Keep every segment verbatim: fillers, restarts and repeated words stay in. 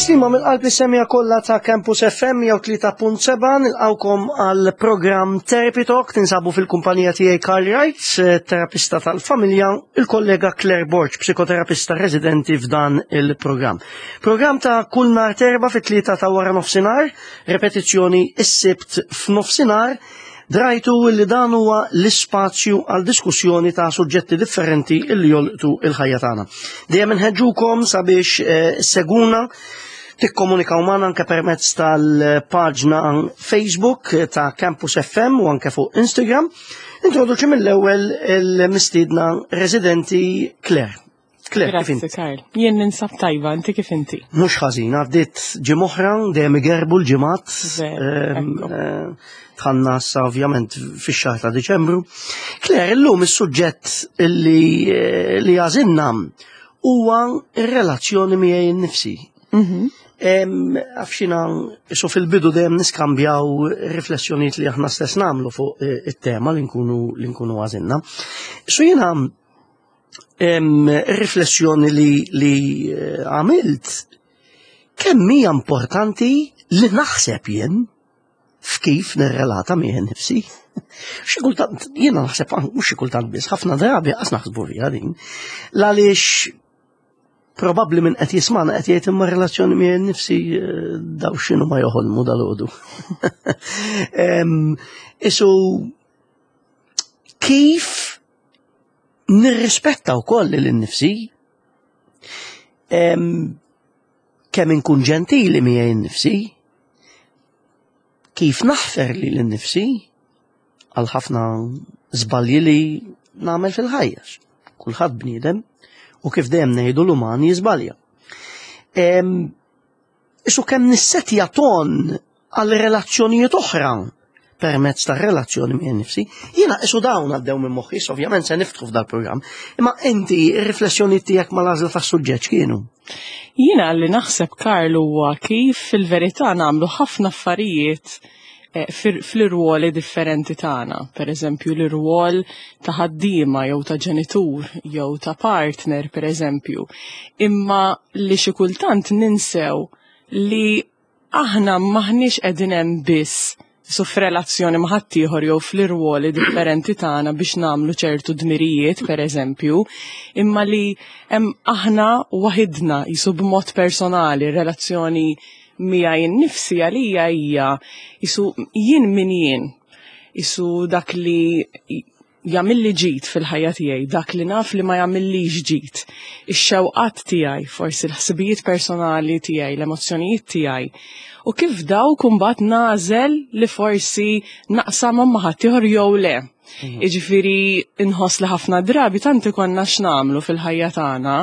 Tislima mill-qalb is-semmiegħa kollha ta' Campus F M mija u tlieta punt sebgħa. Nilqgħukom għal programm Therapy Talk. Tinsabu fil-kumpanija tiegħi Carl Wright, terapista tal-familja, il-kollega Claire Borg, psikoterapista residenti f'dan il-programm. Programm ta' kull nhar t'Erbgħa fit-tlieta ta' wara nofsinhar, repetizzjoni is-Sibt f'nofsinhar. Drajtu li dan huwa l-ispazju għal diskussjoni ta' suġġetti differenti illi jolqtu il-ħajja tagħna. Dejjem inħeġġukom sabiex eh, ssegwuna, tikkomunikaw magħna anke permezz tal-paġna Facebook ta' Campus F M u anke fuq Instagram. Introduċi mill-ewwel il-mistiedna residenti Claire. Claire, kif Grazzi, inti? Karl. Jien ninsab tajba, inti kif inti? Mhux ħażin, għaddiet ġimgħa oħra, dejjem igerbu l-ġimgħat. Veru, Ehm, ekku. eh, Dħalna issa ovvjament fix-xahar ta' Diċembru. Claire, illum is-suġġett li eh, li għażilna huwa ir-relazzjoni miegħi nnifsi. Mhm. Għafxina, so fil-bidu dejjem niskambjaw riflessjonijiet li aħna stess nagħmlu fuq eh, it-tema li nkunu li nkunu għażilna. So jiena em, riflessjoni li, li eh, għamilt kemm hija importanti li naħseb jien f'kif nirrelata miegħi nnifsi. Xi kultant jiena naħseb, mhux xi kultant biss, ħafna drabi qas naħsbu fiha din. Għaliex probabbli min qed jismana qed jgħid, "Imma relazzjoni miegħi nnifsi, eh, daw x'inhu ma joħolmu dal-għodu?" Em, Isu kif nirrispetta wkoll lil nnifsi, em, kemm inkun ġentili miegħi nnifsi, kif naħfer lili nnifsi għal ħafna żbalji li nagħmel fil-ħajja. Kulħadd bniedem u kif dejjem ngħidu, l-uman jiżbalja. Em, Isu kemm nissetja ton għal relazzjonijiet oħra permezz ta' relazzjoni miegħi nnifsi. Jiena isu dawn għaddew minn moħħi, issa ovvjament se niftħu f'dal-programm. Imma inti, ir-riflessjoni tiegħek mal-għażla tas-suġġett kienu? Jiena li naħseb, Karl, huwa kif fil-verità nagħmlu ħafna affarijiet eh, fir- fl-irwoli differenti tagħna. Per eżempju, l-irwol ta' ħaddiema jew ta' ġenitur jew ta' partner, per eżempju. Imma li xi kultant ninsew li aħna maħniex qegħdin hemm biss su f'relazzjoni ma' ħaddieħor jew fl-irwoli differenti tagħna biex nagħmlu ċertu dmirijiet, per eżempju, imma li hemm aħna waħidna jisu b'mod personali. Relazzjoni miegħi nnifsi għalija hija jisu jien min jien, jisu dak li jagħmilli ġid fil-ħajja tiegħi, dak li naf li ma jagħmillix ġid. Ix-xewqat tiegħi, forsi l-ħsibijiet personali tiegħi, l-emozzjonijiet tiegħi. U kif dawk imbagħad nagħżel li forsi naqsamhom ma' ħaddieħor jew le. Iġifieri inħoss li ħafna drabi tant ikollna x'nagħmlu fil-ħajja tagħna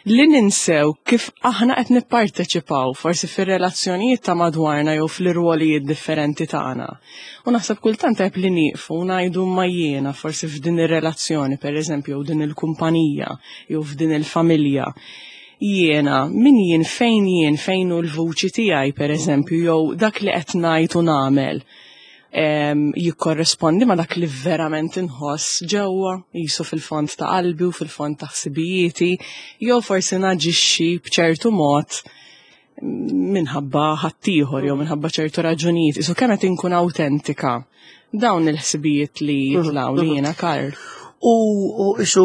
li ninsew kif aħna qed nipparteċipaw forsi fir-relazzjonijiet ta' madwarna jew fl-irwolijiet differenti tagħna. U naħseb kultant tajb li nieqfu u ngħidu, "Ma jiena forsi f'din ir-relazzjoni, per eżempju, jew din il-kumpanija, jew f'din il-familja, jiena min jien, fejn jien, fejn hu l-vuċi tiegħi, per eżempju, jew dak li qed ngħid u nagħmel em, jikkorrespondi ma dak li verament inħoss ġewwa, jisu fil-fond ta' qalbi u fil-fond ta' ħsibijieti, jew forsi naġixxi b'ċertu mod minħabba ħaddieħor jew minħabba ċertu raġunijiet, isu kemm qed inkun awtentika?" Dawn il-ħsibijiet li jitilgħu li jiena, Karl. U, u isu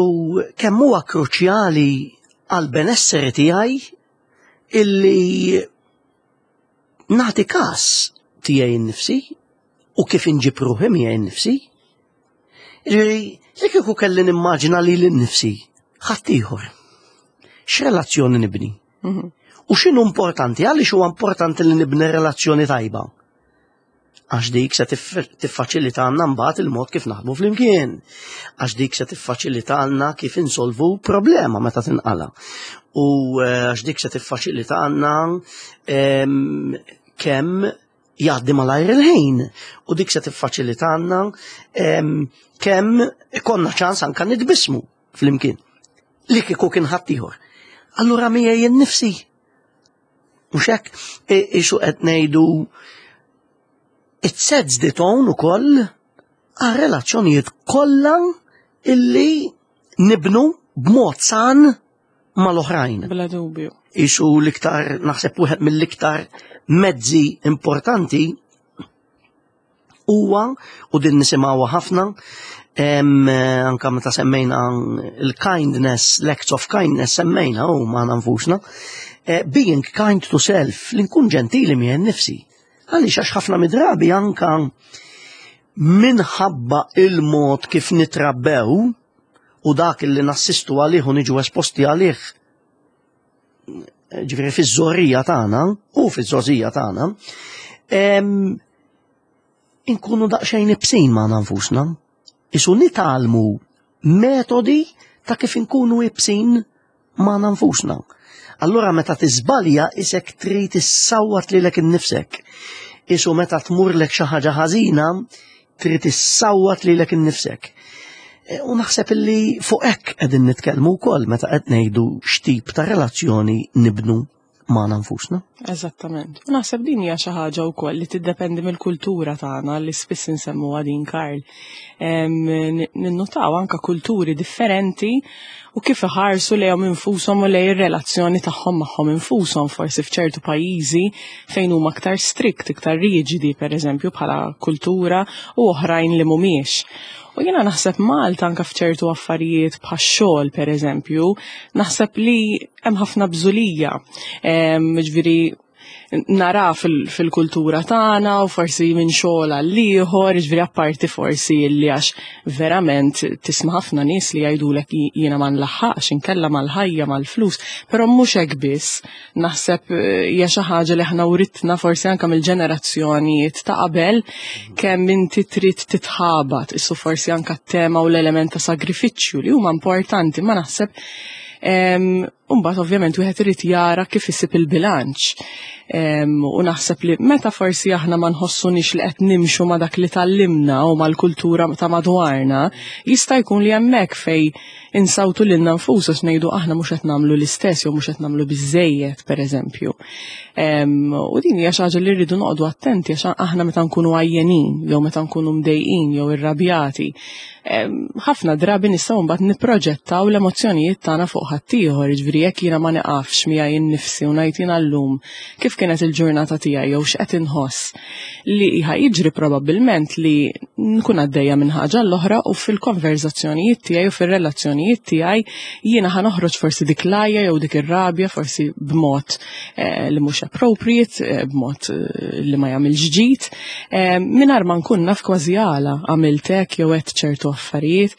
kemm huwa kruċjali għal benesseri tiegħi illi nagħti kas tiegħi nnifsi u kif inġib ruħi miegħi nnifsi. Ġifieri, li kieku kelli nimmaġina lili nnifsi ħaddieħor, x'relazzjoni nibni? Mhm. U x'inhu importanti? Għaliex huwa importanti li nibni relazzjoni tajba? Għax dik se tiffaċilitalna mbagħad il-mod kif naħdmu flimkien. Għax dik se tiffaċilitalna kif insolvu problema meta tinqala. U eh, għax dik se tiffaċilitalna em, kemm jgħaddi malajr il-ħin. U dik se tiffaċilitalna em, kemm ikollna ċans anka nitbismu flimkien. Li kieku kien ħaddieħor. Allura miegħi nnifsi. Mhux hekk, isu qed ngħidu it sets the tone ukoll għal relazzjonijiet kollha illi nibnu b'mod san mal-oħrajn. Bla dubju. Isu l-iktar, naħseb wieħed mill-iktar mezzi importanti huwa, u din nisimgħuha ħafna, em, anka meta semmejna il-kindness, l-acts of kindness semmejna u ma nfusna, eh, being kind to self, li nkun ġentili miegħi nnifsi. Għaliex għax ħafna midrabi anka minħabba il-mod kif nitrabbew u dak li nassistu għalih u niġu esposti għalih, ġifieri fiż-żgħorija tagħna u fiż-żgħożija tagħna, em, inkunu daqsxejn ibsin ma' nfusna. Isu nitgħallmu metodi ta' kif inkunu ibsin ma' nfusna. Allura meta tiżbalja isek trid issawwat lilek innifsek. Isu meta tmurlek xi ħaġa ħażina trid issawwat lilek innifsek. E, U naħseb illi fuq hekk qegħdin nitkellmu wkoll meta qed ngħidu x'tip ta' relazzjoni nibnu magħna nfusna. Eżattament. U naħseb din hija xi ħaġa wkoll li tiddependi mill-kultura tagħna li spiss insemmuha din, Karl. Em, n- Ninnutaw anka kulturi differenti u kif iħarsu lejhom infushom u lejn ir-relazzjoni tagħhom magħhom infushom, forsi f'ċertu pajjiżi fejn huma aktar strict, iktar riġidi, pereżempju, bħala kultura, u oħrajn li mhumiex. U jiena naħseb Malta anka f'ċertu affarijiet bħax-xogħol, pereżempju, naħseb li hemm ħafna bżulija. Em, Ġifieri nara fil- fil-kultura tagħna u forsi minn xogħol għal ieħor, ġifieri apparti forsi li għax verament tisma' ħafna nies li jgħidulek jiena ma nlaħħaqx inkella mal-ħajja, mal-flus, però mhux hekk biss. Naħseb eh, hija xi ħaġa li aħna writna forsi anke mill-ġenerazzjonijiet ta' qabel, kemm inti trid titħabat, issu forsi anke t-tema u l-element ta' sagrifiċċju li huma importanti, ma naħseb Umbagħad ovvjament wieħed irid jara kif isib il-bilanċ. U naħseb li meta forsi aħna ma nħossunix li qed nimxu ma dak li tgħallimna u mal-kultura ta' madwarna, jista' jkun li hemmhekk fej insawtu lilna nfusna ngħidu aħna mhux qed nagħmlu l-istess jew mhux qed nagħmlu biżejjed, pereżempju. U din hija xi ħaġa li rridu noqogħdu attenti, għax aħna meta nkunu għajjenin jew meta nkunu mdejqin jew irrabjati, ħafna drabi nistgħu mbagħad nipproġettaw l-emozzjonijiet tagħna fuq ħaddieħor, jiġifieri jekk jiena ma neqafx miegħi nnifsi u ngħid jiena llum kif kienet il-ġurnata tiegħi jew x'qed inħoss, li ħa jiġri probabbilment li nkun għaddejja minn ħaġa l-oħra u fil-konverzazzjonijiet tiegħi u fir-relazzjonijiet tiegħi jiena ħa noħroġ forsi dik l-għajja jew dik ir-rabja forsi b'mod eh, li mhux appropriate, eh, b'mod eh, li ma jagħmilx ġid, mingħajr ma nkun naf kważi għala għamilt hekk jew għedt ċertu affarijiet.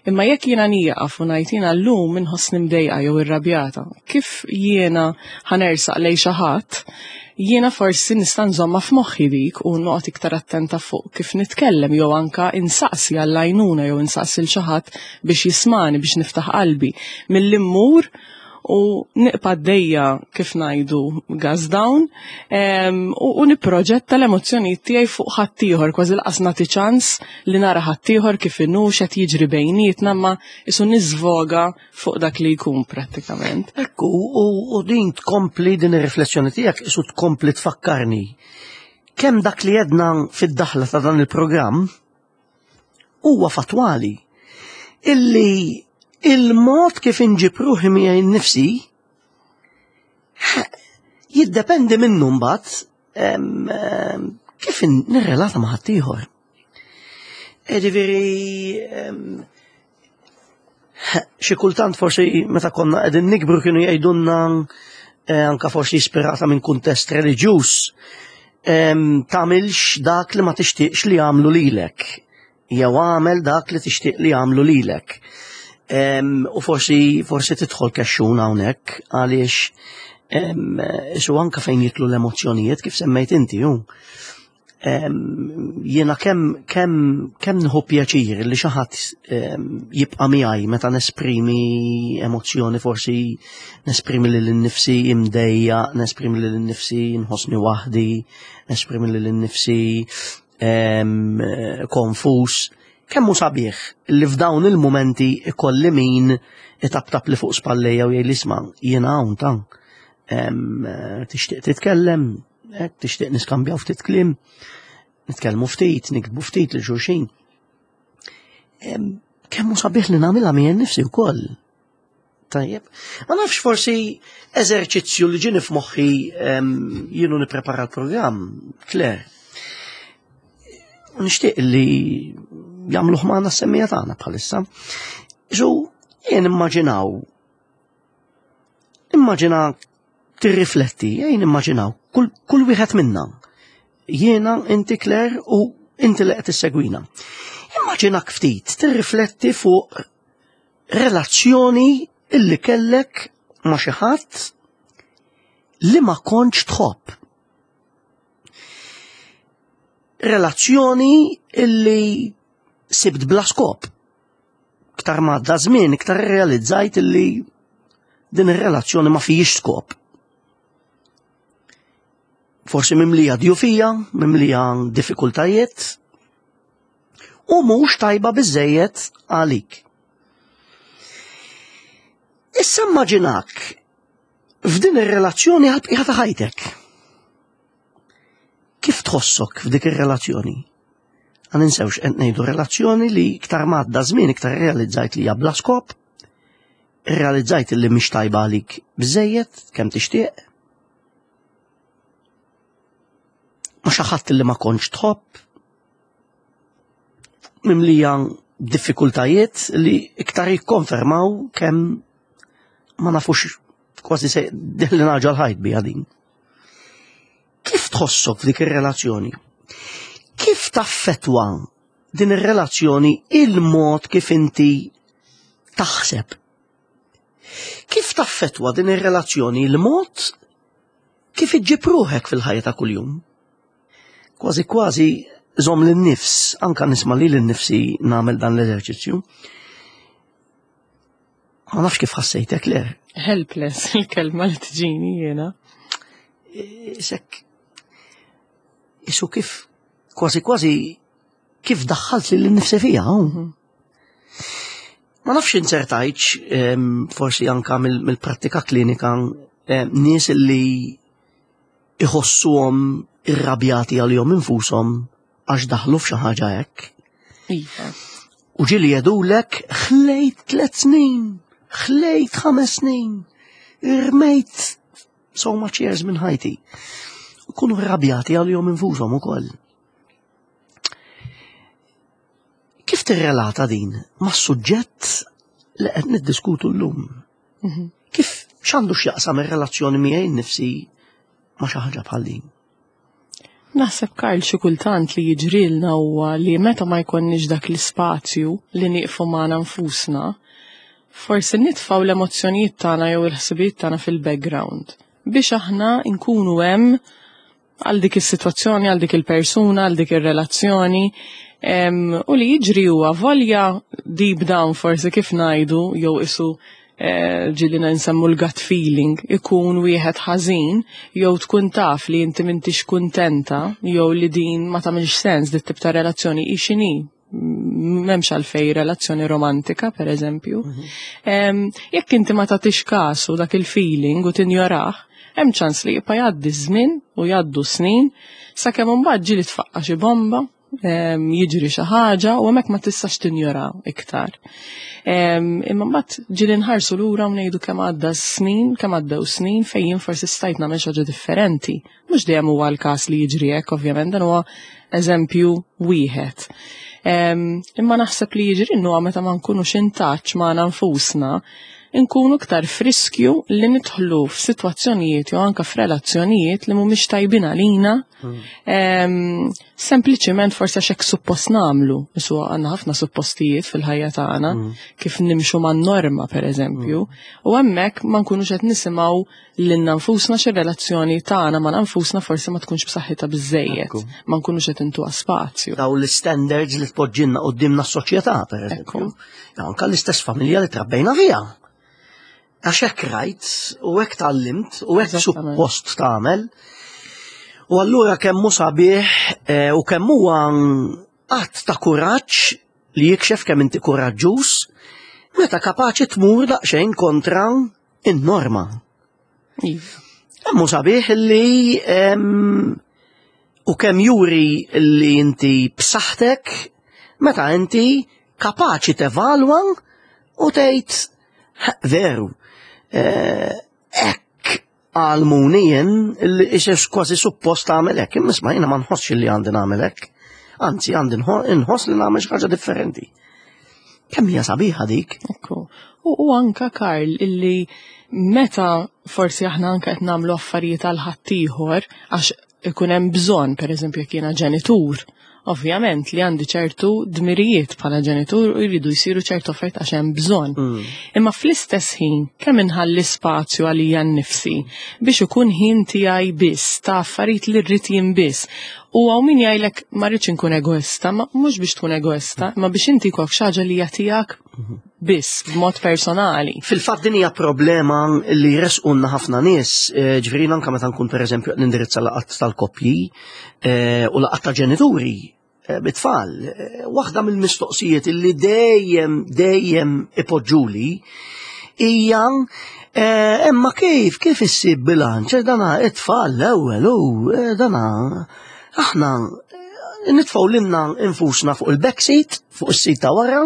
Imma jekk jiena nieqaf u ngħid jiena llum inħossni mdejqa jew irrabjata, kif jiena ħa nersaq lejn xi ħadd, jiena forsi nista' nżomma f'moħħi dik u noqgħod iktar attenta fuq kif nitkellem jew anka insaqsi għall-għajnuna jew insaqsi l xi ħadd biex jismani, biex niftaħ qalbi, milli mmur u nibqa' għaddejja, kif ngħidu, gas down u, u nipproġetta l-emozzjonijiet tiegħi fuq ħaddieħor, kważi lanqas nagħti ċans li nara ħaddieħor kif inhu, x'qed jiġri bejnietna, ma isu niżvoga fuq dak li jkun prattikament. Ekku, u, u din tkompli din ir-riflessjoni tiegħek isu tkompli tfakkarni kemm dak li jedna fid-daħla ta' dan il-programm huwa fatwali, illi il-mod kif inġib ruħi miegħi nnifsi jiddependi minnu mbagħad kif nirrelata ma' ħaddieħor. Ġifieri xi kultant forsi meta konna qegħdin nikbru kienu jgħidulna, eh, anka forsi ispirata minn kuntest reliġjuż, tagħmilx dak li ma tixtieqx li jagħmlu lilek jew għamel dak li tixtieq li jagħmlu lilek. U forsi forsi tidħol kexxun hawnhekk għaliex isu anka fejn jidħlu l-emozzjonijiet kif semmejt inti ju. Jiena kemm kemm kemm nieħu pjaċir li xi ħadd jibqa' miegħi meta nesprimi emozzjoni, forsi nesprimi lil nnifsi imdejja, nesprimi lil nnifsi nħossni waħdi, nesprimi lil nnifsi konfus. Kemm hu sabiħ li f'dawn il-momenti ikolli min itaptap li fuq spallejja u jgħid, "Isma', jiena hawn ta' tixtieq titkellem, tixtieq niskambjaw ftit kliem, nitkellmu ftit, niktbu ftit lil xulxin." Kemm hu sabiħ li nagħmilha miegħi nnifsi wkoll. Tajjeb. Ma nafx, forsi eżerċizzju li ġieni f'moħħi jien u nipprepara l-programm, Claire. Nixtieq li jagħmluh magħna s-semmiegħa tagħna bħalissa. Ġu, jien immaġinaw, immaġina tirrifletti, jien immaġinaw, kull, kull wieħed minna. Jiena, inti Claire u inti li qed issegwina. Immaġinak ftit tirrifletti fuq relazzjoni illi kellek ma' xi ħadd li ma kontx tħobb. Relazzjoni illi sibt bla skop. Iktar ma għadda żmien, iktar realizzajt illi din ir-relazzjoni ma fihiex skop. Forsi mimlija djufija, mimlija diffikultajiet, u mhux tajba biżejjed għalik. Issa immaġinak f'din ir-relazzjoni għal ta' ħajtek. Kif tħossok f'dik ir-relazzjoni? Ma ninsewx qed ngħidu relazzjoni li iktar ma għadda żmien iktar realizzajt li hija bla skop, realizzajt li mhix tajba għalik biżejjed kemm tixtieq. Ma xi ħadd li ma kontx tħobb, mimlija diffikultajiet li iktar jikkonfermaw kemm ma nafux kważi se li naġa l-ħajt bija din. Kif tħossok f'dik ir-relazzjoni? Kif taffetwa din ir-relazzjoni il-mod kif inti taħseb? Kif taffetwa din ir-relazzjoni il-mod kif iġġib ruħek fil-ħajja ta' kuljum? Kważi kważi żomm lin-nifs, anka nisma' li lin-nifsi nagħmel dan l-eżerċizzju. Ma nafx kif ħassejtek, le. Helpless, il-kelma li tiġini jiena. Isek, isu kif, kważi kważi, kif daħħalt li l-nifsi fija. Mhm. Ma nafx insertajċ, forsi anka mill-prattika klinika, nies li iħossuhom irrabjati għalihom infushom għax daħlu f'xi ħaġa hekk. Iva. U ġieli jgħidulek ħlejt tliet snin, ħlejt ħames snin, irmejt so much years minn ħajti. U kunu rrabjati għalihom infushom ukoll. Kif tirrelata din mas-suġġett li qed niddiskutu llum? Mhm. Kif x'għandu x'jaqsam ir-relazzjoni miegħi nnifsi ma' xi ħaġa bħal din? Naħseb, Karl, xi kultant li jiġrilna huwa li meta ma jkollniex dak l-ispazju li nieqfu magħna nfusna, forsi nitfgħu l-emozzjonijiet tagħna jew il-ħsibijiet tagħna fil-background biex aħna nkunu hemm għal dik is-sitwazzjoni, għal dik il-persuna, għal dik ir-relazzjoni. U li jiġri huwa volja deep down forsi kif ngħidu jew isu eh, ġieli nsemmu l-gut feeling ikun wieħed ħażin jew tkun taf li inti m'intix kuntenta jew li din ma tagħmilx sens dit tip ta' relazzjoni hi x'inhi, m'hemmx għalfej relazzjoni romantika, per eżempju. Mhm. Jekk inti ma tagħtix kasu dak il-feeling u tinjorah, hemm ċans li jibqa' jgħaddi żmien u jgħaddu snin sakemm imbagħad ġieli tfaqqa xi bomba, jiġri xi ħaġa u hemmhekk ma tistax tinjora iktar. Imma mbagħad ġieli nħarsu lura u ngħidu kemm għadda snin, kemm għaddew snin fejn jien forsi stajt nagħmel xi ħaġa differenti. Mhux dejjem huwa l-każ li jiġri hekk, ovvjament, dan huwa eżempju wieħed. Imma naħseb li jiġri huwa meta ma nkunux in touch magħna nfusna, nkunu iktar friskju li nidħlu f'sitwazzjonijiet jew anke f'relazzjonijiet li mhumiex tajbin għalina. Hmm. Sempliċiment forsi għax hekk suppost nagħmlu. Isu għandna ħafna suppostijiet fil-ħajja tagħna hmm. kif nimxu man-norma pereżempju. Hmm. U hemmhekk ma nkunux qed nisimgħu lilna nfusna xi relazzjoni tagħna ma nfusna forsi ma tkunx b'saħħitha biżejjed. Ma nkunux qed intuha spazju. Daw l-standards li tpoġġilna quddiemna s-soċjetà pereżempju. Anke l-istess familja li trabbejna fiha. Għax hekk rajt u hekk tgħallimt u hekk suppost tagħmel. U allura kemm hu sabiħ eh, u kemm huwa att ta' kuraġġ li jikxef kemm inti kuraġġuż meta kapaċi tmur daqsxejn kontra in-norma. Iva. Kemm hu sabiħ li u kemm juri li inti b'saħħtek meta inti kapaċi tevalwa u tgħid veru, Hekk għallmuni jien li ixex kważi suppost tagħmel hekk, imma isma', jiena ma nħossx li għandi nagħmel hekk. Anzi, għandi nħoss li nagħmel xi ħaġa differenti. Kemm hija sabiħa dik? Ekku. U, u anka, Karl, illi meta forsi aħna anka qed nagħmlu affarijiet għal ħaddieħor għax ikun hemm bżonn, pereżempju jekk jiena ġenitur, ovvjament li għandi ċertu dmirijiet bħala ġenitur u jridu jsiru ċertu affarijiet għax hemm bżonn. Mm. Imma fl-istess ħin kemm inħalli spazju għalija nnifsi biex ikun ħin tiegħi biss ta' affarijiet li rrid jien biss. U hawn min jgħidlek ma rridx inkun egoista, ma mhux biex tkun egoista, ma biex inti jkollok xi ħaġa li hija tiegħek biss b'mod personali. Fil-fatt din hija problema li jressqulna ħafna nies, eh, ġifieri anke meta nkun, pereżempju, nindirizza laqgħat tal-koppji eh, u laqgħat ta' ġenituri eh, bit-tfal. Waħda mill-mistoqsijiet illi dejjem dejjem ipoġġuli hija: "Imma kif kif issib bilanċ? Dana it-tfal l-ewwel u dana aħna nitfgħu lilna infusna fuq il-backseat, fuq is-seat ta' wara,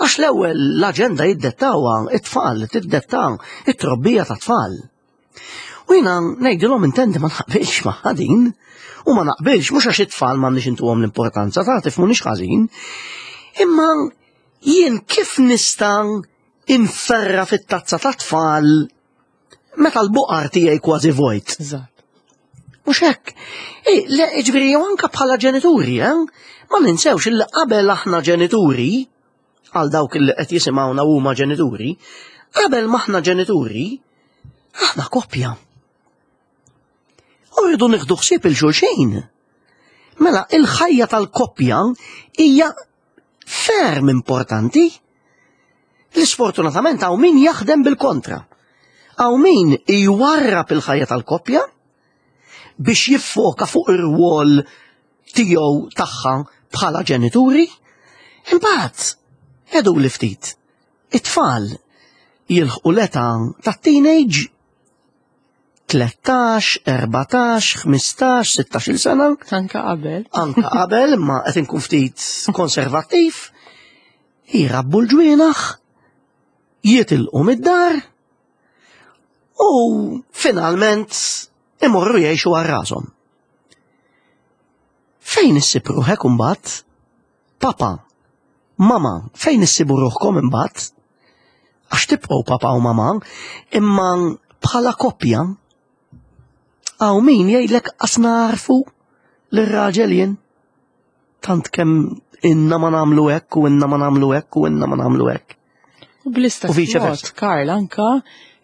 għax l-ewwel l-aġenda jiddettawha it-tfal, tiddettaw it-trobbija ta' tfal." U jiena ngħidilhom, intendi, ma naqbilx ma' din, u ma naqbilx mhux għax it-tfal m'għandniex intuhom l-importanza, ta' tifhmunix ħażin, imma jien kif nista' inferra fit-tazza ta' tfal meta l-buqar tiegħi kważi vojt? Eżatt. Mhux hekk. Le, ġifieri jew anka bħala ġenituri, eh? Ma ninsewx illi qabel aħna ġenituri, għal dawk li qed jisimgħuna huma ġenituri, qabel m'aħna ġenituri, aħna koppja. U rridu nieħdu ħsieb lil xulxin. Mela, il-ħajja tal-koppja hija ferm importanti. L-sfortunatament hawn min jaħdem bil-kontra. Hawn min jwarrab il-ħajja tal-koppja biex jiffoka fuq ir-rwol tiegħu, tagħha bħala ġenituri. Imbagħad, edu li ftit, it-tfal jilħqu l-età ta' teenage, tlettax, erbatax, ħmistax, sittax-il sena. Anka qabel. Anka qabel, ma qed inkun ftit konservattiv, jirabbu l-ġwienaħ, jitilqu mid-dar u finalment imorru jgħixu għal rashom. Fejn issib ruħek imbagħad? Papa, mama, fejn issibu ruħkom imbagħad? Għax tibqgħu papa u mama, imma bħala koppja, hawn min jgħidlek qas narfu l-raġel jien. Tant kemm ilna ma nagħmlu hekk u ilna ma nagħmlu hekk u ilna ma nagħmlu hekk. U bl-istess U vice mod, versa. Karl, anka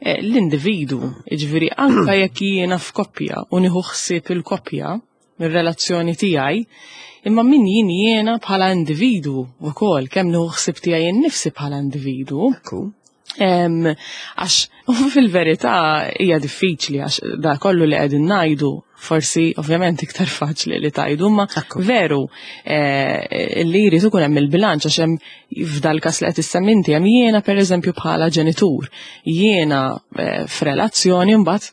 eh, l-individu, ġifieri anka jekk jiena f'koppja u nieħu ħsieb il-koppja, mir-relazzjoni tiegħi, imma min jien jiena bħala individu wkoll, kemm nieħu ħsieb tiegħi nnifsi bħala individu. Ekku. Em, Għax fil-verità hija diffiċli, għax da kollu li qegħdin ngħidu forsi ovvjament iktar faċli li tgħidu, ma Ekku. veru eh, li jrid ikun hemm il-bilanċ, għax hemm f'dal każ li qed issemmi inti hemm jiena, pereżempju, bħala ġenitur, jiena eh, f'relazzjoni, mbagħad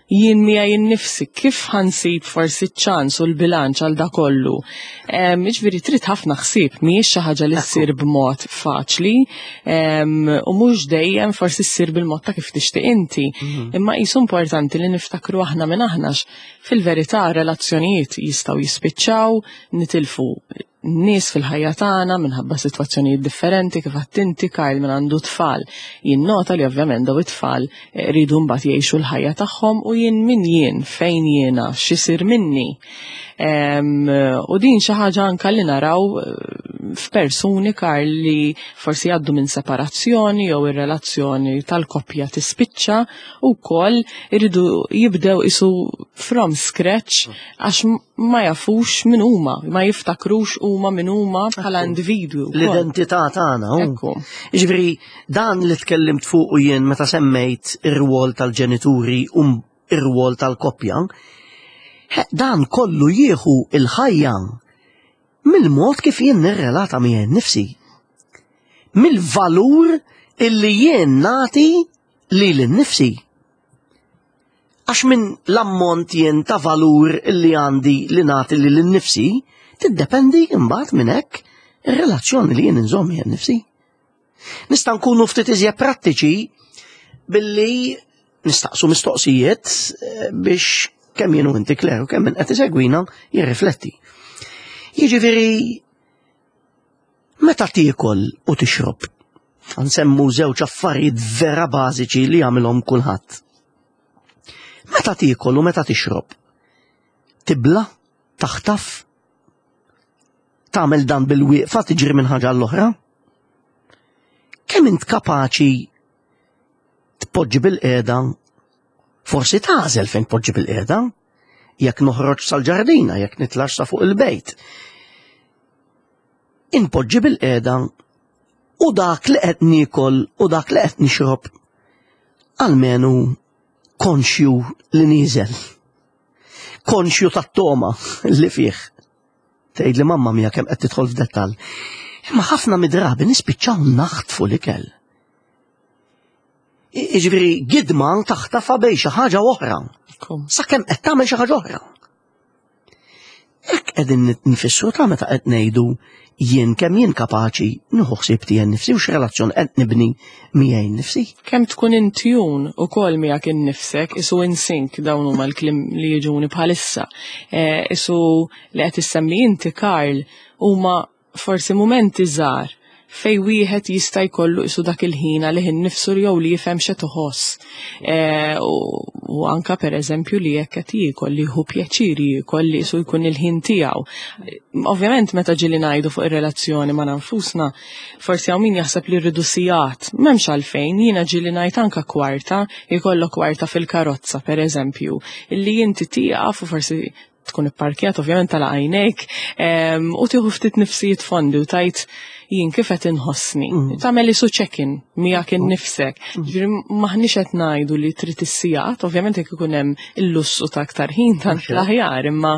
jien miegħi nnifsi, kif ħa nsib forsi ċans u l-bilanċ għal da kollu? Em, Jiġifieri trid ħafna ħsieb, mhijiex xi ħaġa li ssir b'mod faċli em, u mhux dejjem forsi ssir bil-mod ta' kif tixtieq inti. Imma qisu importanti li niftakru aħna minn aħna, fil-verità relazzjonijiet jistgħu jispiċċaw, nitilfu nies fil-ħajja tagħna minħabba sitwazzjonijiet differenti. Kif għedt inti, Karl, minn għandu tfal jinnota li ovvjament daw it-tfal eh, rridu mbagħad jgħixu l-ħajja tagħhom, u jien min jien, fejn jiena, x'isir minni. Em, u din xi ħaġa anka li naraw eh, f'persuni, Karl, li forsi jgħaddu minn separazzjoni jew ir-relazzjoni tal-koppja tispiċċa u wkoll iridu jibdew isu from scratch għax ma jafux min huma, ma jiftakrux huma min huma bħala individwi wkoll. L-identità tagħna. hu. Ekku. Jiġifieri dan li tkellimt fuq u jien meta semmejt ir-rwol tal-ġenituri u ir-rwol tal-koppja, he, dan kollu jieħu il-ħajja mill-mod kif jien nirrelata miegħi nnifsi. Mill-valur illi jien nagħti lili nnifsi. Għax minn l-ammont jien ta' valur illi għandi li nagħti lili nnifsi, tiddependi imbagħad minn hekk ir-relazzjoni li jien inżomm miegħi nnifsi. Nista' nkunu ftit iżjed prattiċi, Billi nistaqsu mistoqsijiet eh, biex kemm jien u inti, Claire, u kemm min qed isegwina jirrifletti. Jiġifieri meta tiekol u tixrob, nsemmu żewġ affarijiet vera bażiċi li jagħmilhom kulħadd. Meta tiekol u meta tixrob, tibla, taħtaf, tagħmel dan bil-wieqfa, tiġri minn ħaġa l-oħra? Kemm int kapaċi tpoġġi bil-qiegħda, forsi tagħżel fejn tpoġġi bil-qiegħda, jekk noħroġ sal-ġardina, jekk nitlax sa fuq il-bejt? Inpoġġi bil-qiegħda u dak li qed niekol u dak li qed nixrob almenu konxju li nieżel. Konxju tat-togħma li fih. Tgħid li mamma mia, kemm qed tidħol f'dettall. Imma ħafna mid-drabi nispiċċaw naħtfu l-ikel. Jiġifieri gidma taħtafa bejn xi ħaġa oħra. Sakemm qed tagħmel xi ħaġa oħra. Hekk qegħdin nfissru ta' meta qed ngħidu jien kemm jien kapaċi nieħu ħsieb tiegħi nnifsi u x'relazzjoni qed nibni miegħi nnifsi. Kemm tkun in tune ukoll miegħek innifsek, isu in sync, dawn huma l-kliem li jiġuni bħalissa. Eh, isu li qed issemmi inti, Karl, huma forsi mumenti żgħar fej wieħed jista' jkollu isu dak il-ħin għalih innifsu jew li jifhem x'qed iħoss. Eh, u anka pereżempju li jekk qed jiekol, li jieħu pjaċir jiekol, li isu jkun il-ħin tiegħu. Ovvjament meta ġieli ngħidu fuq ir-relazzjoni ma' nfusna, forsi hawn min jaħseb li rridu sigħat. M'hemmx għalfejn, jiena ġieli ngħid anka kwarta, jkollok kwarta fil-karozza pereżempju, illi inti tieqaf u forsi tkun ipparkjat, ovvjament tagħlaq għajnejk, u tieħu ftit nifsijiet fondi u tgħid jien kif qed inħossni. Mm. Tagħmel isu check-in miegħek mm. innifsek. Mm. Ġifieri maħniex qed ngħidu li trid is-sigħat, ovvjament jekk ikun hemm il-lussu ta' aktar ħin tant l-aħjar, imma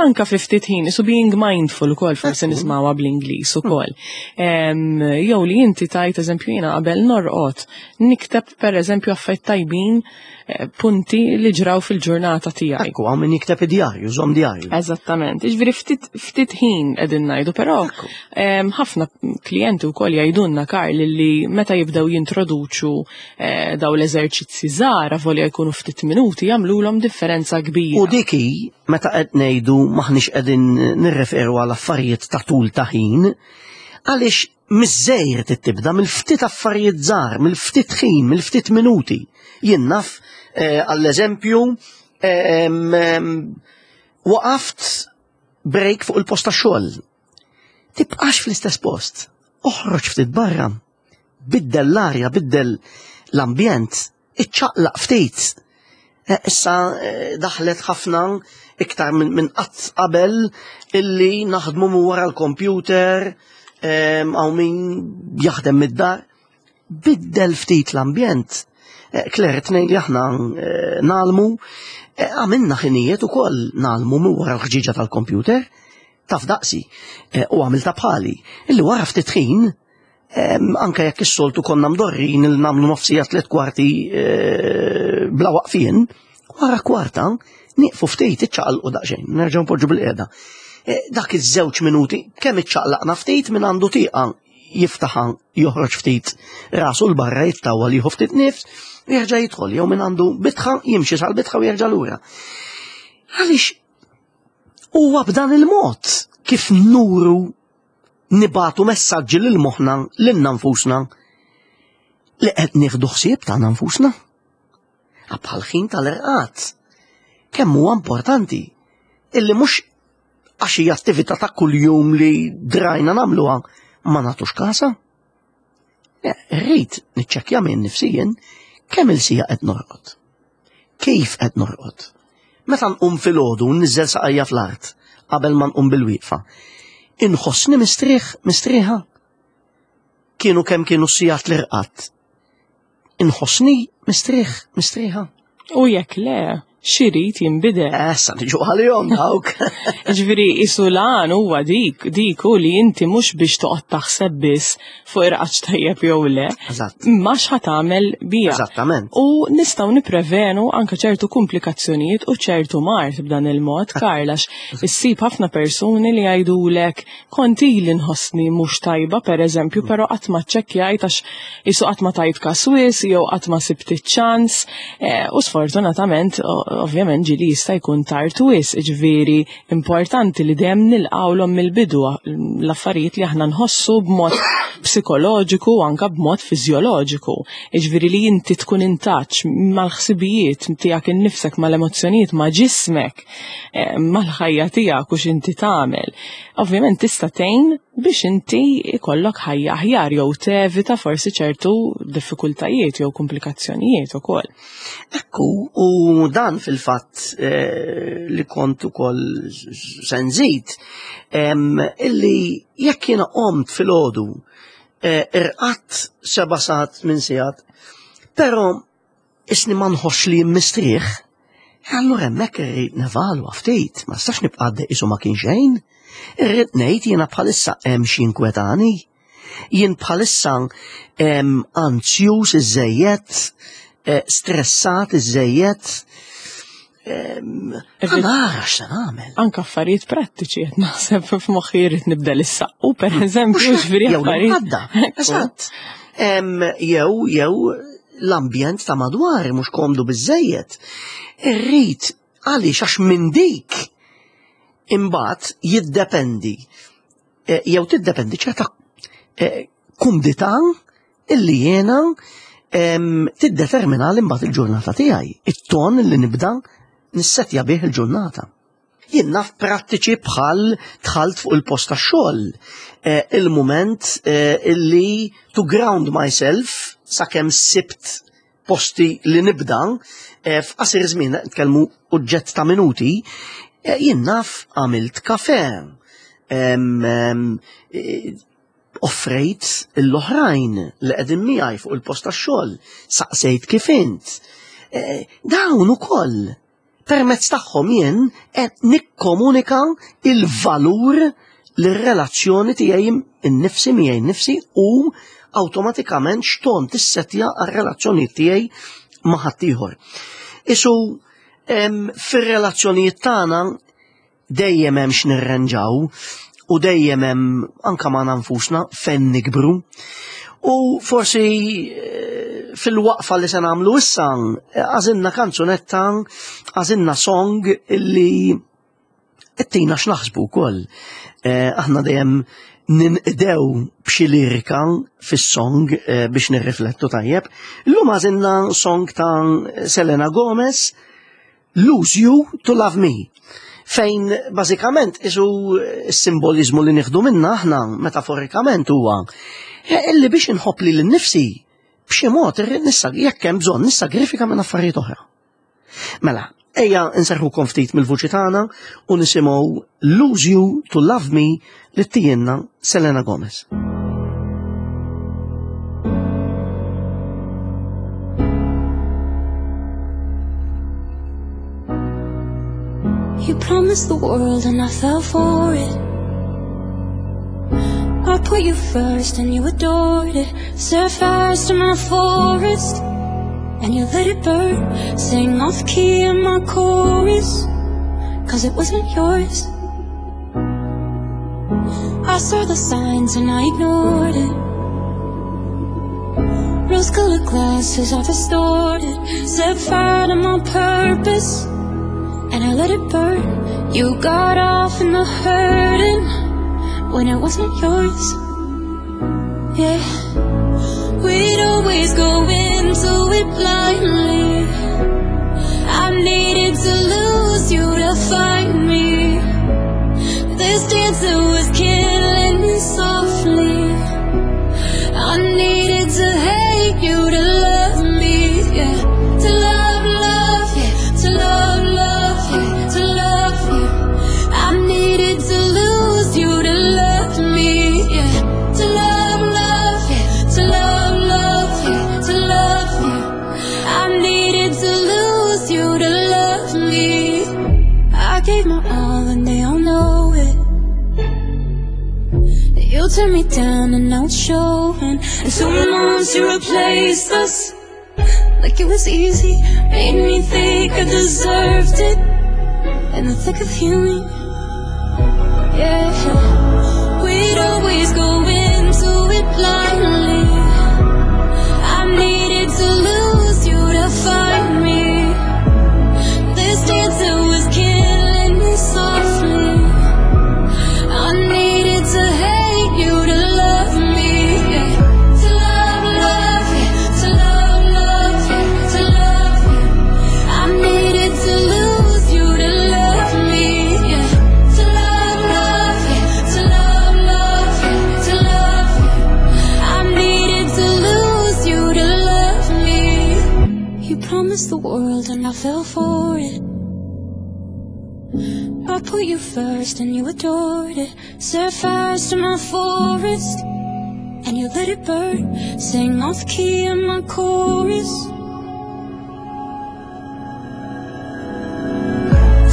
anka fi ftit ħin, isu being mindful ukoll forsi nismawha bl-Ingliż ukoll. Jew li inti tgħid, eżempju, jiena qabel norqod nikteb pereżempju affarijiet tajbin, eh, punti li ġraw fil-ġurnata tiegħi. Ekku, hawn min jikteb id-djarju, żomm djarju. Eżattament. Ġifieri ftit ftit ħin qegħdin ngħidu, però ħafna klijenti wkoll jgħidulna, Karl, li meta jibdew jintroduċu eh, daw l-eżerċizzi żgħar, volja jkunu ftit minuti, jagħmluhom differenza kbira. U diki meta qed ngħidu maħniex qegħdin nirreferu għal affarijiet ta' tul ta' ħin, għaliex miż-żgħir tibda, mill-ftit affarijiet żgħar, mill-ftit ħin, mill-ftit minuti. Jien naf eh, għall-eżempju, waqaft break fuq il-post ta' xogħol. Tibqax fl-istess post. Oħroġ ftit barra. Biddel l-arja, biddel l-ambjent, iċċaqlaq ftit. Eh, issa eh, daħlet ħafna iktar minn qatt qabel illi naħdmu minn wara l-computer, hawn min jaħdem mid-dar. Biddel ftit l-ambjent. Eh, Claire, tnejn li aħna ngħallmu, għamilna ħinijiet ukoll ngħallmu minn wara l-ħġiġa tal-computer, taf daqsi, u għamilta bħali, illi wara ftit ħin, anka jekk is-soltu konna mdorrin il nagħmlu nofs siegħa, tliet kwarti bla waqfien, wara kwarta nieqfu ftit, iċċaqalqu daqsxejn, nerġgħu npoġġu bil-qiegħda. Dak iż-żewġ minuti kemm iċċaqlaqna ftit, minn għandu tieqa jiftaħa, joħroġ ftit rasu l-barra, jittawwa li jieħu ftit nifs, jerġa' jidħol, jew minn għandu bitħa jimxi sal-bitħa u jerġa' lura. Għaliex huwa b'dan il-mod kif nuru, nibagħtu messaġġi lil moħħna, lilna nfusna, li qed nieħdu ħsieb tagħna nfusna. Bħal ħin tal-irqad. Kemm huwa importanti illi mhux għax hija attività ta' kuljum li drajna nagħmluha ma nagħtux kasa. Rrid niċċekkja minn nifsi jien kemm il-siegħa qed norqod. Kif qed norqod? Meta nqum filgħodu, nniżżel saqajja fl-art qabel ma nqum bil-wieqfa, inħossni mistrieħ, mistrieħa? Kienu kemm kienu sigħat li rqadt, inħossni mistrieħ, mistrieħa? U jekk le, X'irid jinbidel? Issa niġu għalihom dawk. Ġifieri isulan huwa dik, dik u li inti mhux biex toqgħod taħseb biss fuq irqadx tajjeb jew le, Eżatt. imma x'ħa tagħmel biha. Eżattament. U nistgħu nipprevenu anke ċertu komplikazzjonijiet u ċertu mard b'dan il-mod, Karl, għax issib ħafna persuni li jgħidulek kont ili nħossni mhux tajba, pereżempju, però qatt ma ċċekkjajt għax isu qatt ma tajt kas wisq jew qatt ma sibt iċ-ċans, eh, u sfortunatament o- ovvjament ġieli jista' jkun tard wisq, ġifieri importanti li dejjem nilqawlhom mill-bidu l-affarijiet li aħna nħossu b'mod psikoloġiku u anke b'mod fiżjoloġiku. Ġifieri li inti tkun in touch mal-ħsibijiet tiegħek innifsek, mal-emozzjonijiet, ma' ġismek, eh, mal-ħajja tiegħek u x'inti tagħmel. Ovvjament tista' tgħin biex inti ikollok ħajja aħjar jew tevita forsi ċertu diffikultajiet jew komplikazzjonijiet ukoll. Ekku, u dan fil-fatt eh, li kont ukoll se nżid, em, illi jekk jiena qomt filgħodu eh, irqadt seba' sigħat minn sigħat, però isni ma nħoss li mistrieħ, allura hemmhekk irrid nevalwa ftit, ma nistax nibqa' għaddej qisu ma kien xejn. Irrid ngħid jiena bħalissa hemm xi inkwetani, jien bħalissa em, anzjuż iżejjed, eh, stressat iżejjed, Irrid- nara x'se nagħmel. Anka affarijiet prattiċi qed naħseb f'moħħi jrid nibda lis-saqqu pereżempju, ġifieri Jew affarijiet. l-għadda. Eżatt. Em, Jew jew l-ambjent ta' madwar mhux komdu biżejjed. Irrid għaliex għax minn dik imbagħad jiddependi eh, jew tiddependi ċerta eh, kumdità illi jiena em, tiddetermina l imbagħad il-ġurnata tiegħi, it-ton li nibda nissetja bih il-ġurnata. Jien naf prattiċi bħal dħalt fuq il-post tax-xogħol. Eh, il-moment eh, illi to ground myself sakemm sibt posti li nibda eh, f'qasir żmien nitkellmu oġġett ta' minuti, eh, jien naf għamilt kafe. Em, em, eh, offrejt l-oħrajn li qegħdin miegħi fuq il-post tax-xogħol, saqsejt kif int. Eh, Dawn ukoll permezz tagħhom jien qed nikkomunika il-valur lir-relazzjoni tiegħi innifsi miegħi nnifsi u awtomatikament x'ton tissetja għar-relazzjoni tiegħi ma' ħaddieħor. Isu em, fir-relazzjonijiet tagħna dejjem hemm x'nirranġaw u dejjem hemm anka ma' nfusna fejn nikbru. U forsi eh, fil-waqfa li se nagħmlu issa eh, għażilna kanzunetta, għażilna song illi ittina x'naħsbu wkoll. Eh, Aħna dejjem ninqdew b'xi lirika fis-song eh, biex nirriflettu tajjeb. Illum għażilna song ta' Selena Gomez, Lose You to Love Me. Fejn bażikament isu s-simbolizmu li nieħdu minna aħna metaforikament huwa eh, illi biex inħobb lili nnifsi b'xi mod irrid nissa jekk hemm bżonn nissagrifika minn affarijiet oħra. Mela, ejja nserħukom ftit mill-vuċi tagħna u nisimgħu Lose You to Love Me li ttihielna Selena Gomez. You promised the world and I fell for it. I put you first and you adored it. Set fires to my forest and you let it burn. Sing off key in my chorus, cause it wasn't yours. I saw the signs and I ignored it. Rose colored glasses are distorted. Set fire to my purpose and I let it burn. You got off in the hurting when it wasn't yours. Yeah, we'd always go into it blindly. I needed to lose you to find me. This dancer was killing me softly. I needed to hate you to love me, yeah. To love, love, yeah. To love, love, yeah. To love you. I needed to lose you to love me, yeah. To love, love, yeah. To love, love, yeah. To love you. I needed to lose you to love You tear me down and now it's showing. And two months you replaced us like it was easy. Made me think I deserved it. In the thick of healing, yeah. We'd always go into it blindly. I needed to lose you to find me. This dancer was killing me softly. I needed to hate you to love me. Yeah. To love, love you, to love, love you, to love you. I needed to lose you to love me. Yeah. To love, love you, to love, love you, to love you. I needed to lose you to love me. You promised the world and I fell for it. I put you first and you adored it. Set fires to my forest and you let it burn. Sing off key in my chorus.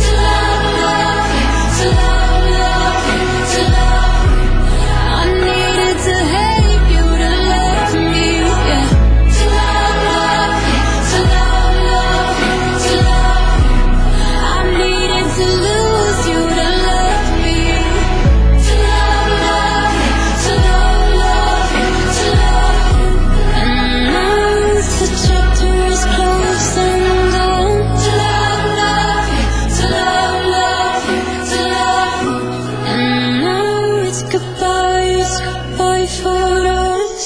To love, love you, to love, love you, to love you. I needed to hate you to love me, yeah. To love, love you, to love, love you, to love you. I needed to lose you to love me. To love, love you, to love, love you, to love you. And now the chapter is closed and done. To love, love you, to love, love you, to love you. And now it's goodbye, it's goodbye for us.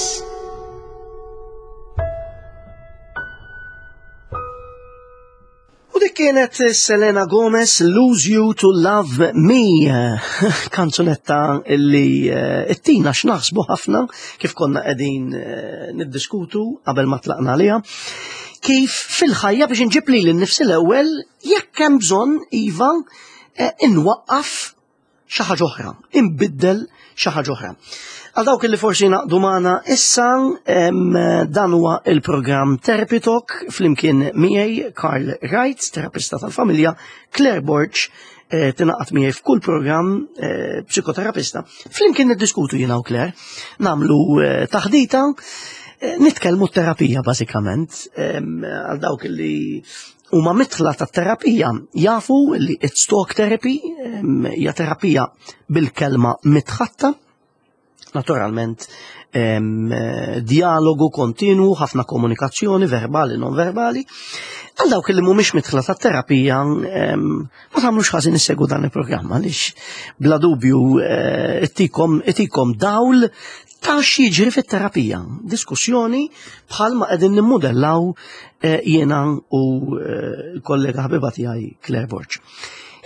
U dik kienet Selena Gomez, Lose You to Love Me, kanzunetta illi eh, ittina x'naħsbu ħafna kif konna qegħdin eh, niddiskutu qabel ma tlaqna għaliha. Kif fil-ħajja biex inġib lili nnifsi l-ewwel jekk hemm bżonn iva eh, inwaqqaf xi ħaġa oħra, inbiddel xi ħaġa oħra. Għal dawk li forsi naqdu magħna issa, em, dan huwa il-programm Therapy Talk flimkien miegħi Karl Wright, terapista tal-familja, Claire Borg, eh, tingħaqad miegħi f'kull programm, eh, psikoterapista. Flimkien niddiskutu jiena u Claire, nagħmlu eh, taħdita, eh, nitkellmu terapija bażikament, em, għal dawk li huma mitla ta' terapija jafu li it's talk therapy, em, hija terapija bil-kelma mitħatta. Naturalment, em, eh, dialogu kontinu, ħafna komunikazzjoni verbali, non verbali. Għal dawk li mhumiex mitħla ta' terapija, em, ma tagħmlux ħażin issegwu dan il-programm għaliex bla dubju eh, ittikom itikom dawl ta' x'jiġri fit-terapija. Diskussjoni bħalma qegħdin nimmudellaw eh, jiena u eh, l-kollega ħabiba tiegħi Claire Borg.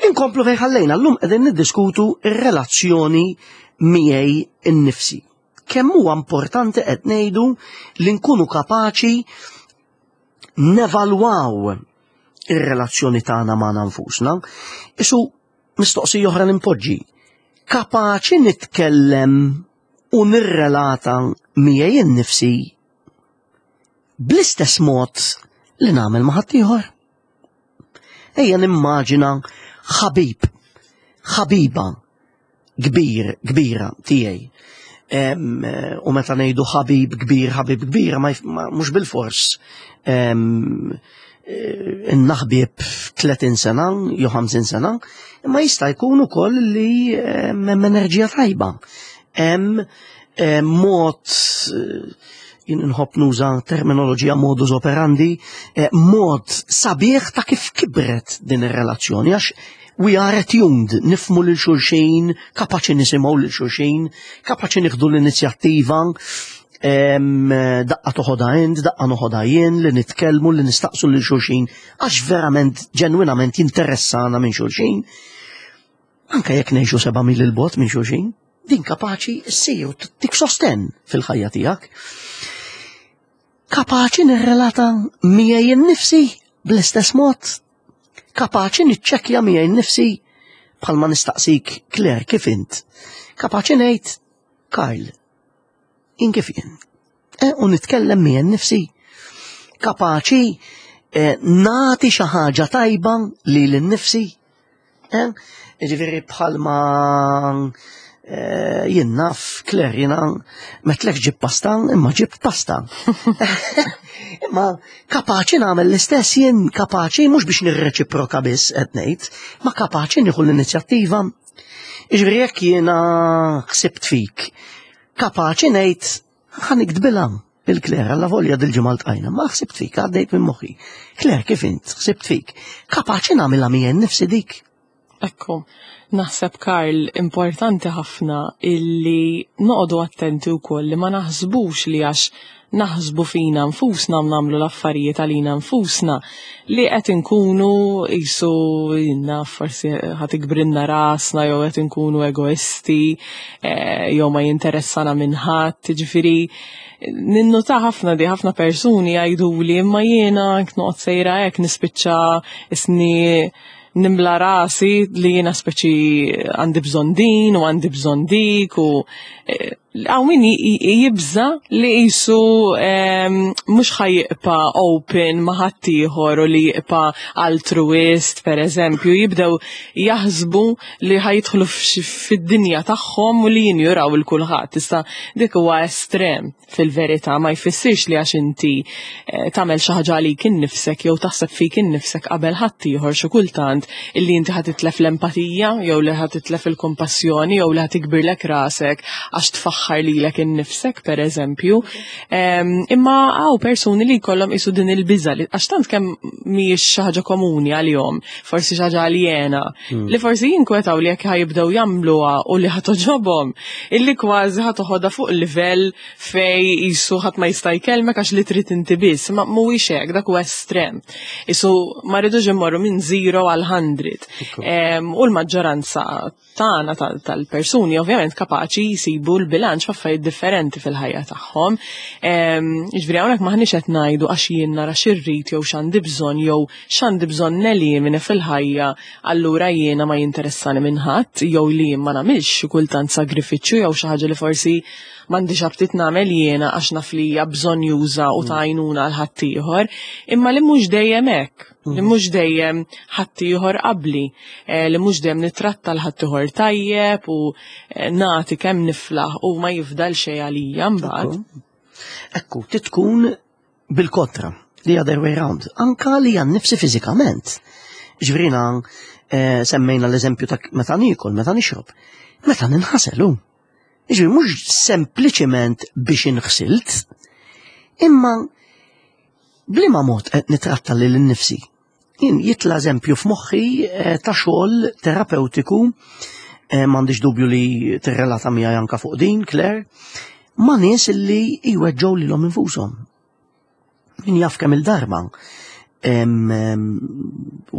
Inkomplu fejn ħallejna llum qegħdin niddiskutu ir-relazzjoni miegħi innifsi. Kemm huwa importanti qed ngħidu li nkunu kapaċi nevalwaw ir-relazzjoni tagħna magħna nfusna. Isu mistoqsija oħra nimpoġġi. Kapaċi nitkellem u nirrelata miegħi innifsi bl-istess mod li nagħmel ma' ħaddieħor? Ejja nimmaġina ħabib, ħabiba kbir, kbira tiegħi. Em, eh, U meta ngħidu ħabib kbir, ħabib kbira, ma jf- ma- mhux bil-fors em, eh, innaħbib tletin sena jew ħamsin sena, imma jista' jkun ukoll li em, hemm enerġija tajba. Hemm eh, mod eh, jien nħobb nuża terminoloġija modus operandi, eh, mod sabiħ ta' kif kibret din ir-relazzjoni, għax we are attuned, nifhmu lil xulxin, kapaċi nisimgħu lil xulxin, kapaċi nieħdu l-inizjattiva, em, daqqa toħodha int, daqqa noħodha jien, li nitkellmu, li nistaqsu lil xulxin, għax verament, ġenwinament jinteressana minn xulxin. Anka jekk ngħixu seba' mil il-bogħod minn xulxin, din kapaċi ssir u tik sosten fil-ħajja tiegħek. Kapaċi nirrelata miegħi nnifsi bl-istess mod. Kapaċi niċċekkja miegħi nnifsi bħalma nistaqsik Claire kif int. Kapaċi ngħid Karl, in kif jien. E, u nitkellem miegħi nnifsi. Kapaċi eh, nagħti xi ħaġa tajba lili nnifsi. Eh? Ġifieri bħalma Eh, jien naf, Claire, jiena m'għedtlekx ġib pasta, imma ġib pasta. Imma kapaċi nagħmel l-istess jien, kapaċi mhux biex nirreċiproka biss qed ngħid, ma kapaċi nieħu l-inizjattiva. Jiġifieri jekk jiena ħsibt fik, kapaċi ngħid ħa niktbilha lil Claire, allavolja dil-ġimgħa ltqajna, ma ħsibt fik, għaddejt minn moħħi. Claire, kif int, ħsibt fik? Kapaċi nagħmilha miegħi nnifsi dik. Ekku, naħseb, Karl, importanti ħafna illi noqogħdu attenti wkoll li ma naħsbux li għax naħsbu fina nfusna u nagħmlu l-affarijiet għalina nfusna li qed inkunu qisu jinna forsi ħa tikbrilna rasna jew qed inkunu egoisti eh, jew ma jinteressana minn ħadd, ġifieri ninnota ħafna di ħafna persuni jgħidu li imma jiena noqgħod sejra hekk nispiċċa isni nimla rasi li jiena speċi għandi bżonn din u għandi bżonn dik u eh, hawn min jibża li qisu mhux ħa jibqa' open ma' ħaddieħor u li jibqa' altruist, per eżempju, jibdew jaħsbu li ħa jidħlu fid-dinja tagħhom u li jinjuraw lil kulħadd. Issa dik huwa estrem fil-verità, ma jfissirx li għax inti eh, tagħmel xi ħaġa għalik innifsek jew taħseb fik innifsek qabel ħaddieħor xi kultant illi inti ħa titlef l-empatija jew li ħa titlef il-kompassjoni jew li ħa tikbirlek rasek għax tfaħħar lilek innifsek, per eżempju. Imma hawn persuni li jkollhom qisu din il-biża li għax tant kemm mhijiex xi ħaġa komuni għalihom, forsi xi ħaġa aljena, hmm. li forsi jinkwetaw li jekk ħa jibdew jagħmluha u li ħa togħġobhom, illi kważi ħa toħodha fuq livell fej qisu ħadd ma jista' jkellmek għax li trid inti biss, ma mhuwiex hekk, dak huwa estrem. Qisu ma rridux immorru minn zero għal hundred. U l-maġġoranza tagħna tal-persuni ovvjament kapaċi jsibu l-bilanċ f'affarijiet differenti fil-ħajja tagħhom. Jiġifieri hawnhekk m'aħniex qed ngħidu għax jien nara x'irrid jew x'għandi bżonn jew x'għandi bżonn nelimina fil-ħajja, allura jiena ma jinteressani minn ħadd jew li jien ma nagħmilx xi kultant sagrifiċċju jew xi ħaġa li forsi m'għandix aptit nagħmel jiena għax naf li hija bżonnjuża u ta' għajnuna għal ħaddieħor, imma li mhux dejjem hekk, li mm. mhux dejjem ħaddieħor qabli, eh, li mhux dejjem nitratta l ħaddieħor tajjeb u eh, nagħti kemm niflaħ u ma jifdal xejn għalija mbagħad. Ekku, titkun bil-kontra, the other way round, anka li għal nifsi fiżikament. Ġifieri, eh, semmejna l-eżempju ta' meta nikol, meta nixrob, meta ninħaselu. Ġifieri mhux sempliċement biex inħsilt, imma b'liema mod qed nitratta lil nifsi. Jien jitla eżempju f'moħħi eh, ta' xogħol terapeutiku, eh, m'għandix dubju li tirrelata miegħi anka fuq din, Claire, ma' nies li jweġġgħu lilhom infushom. Min jaf kemm il-darba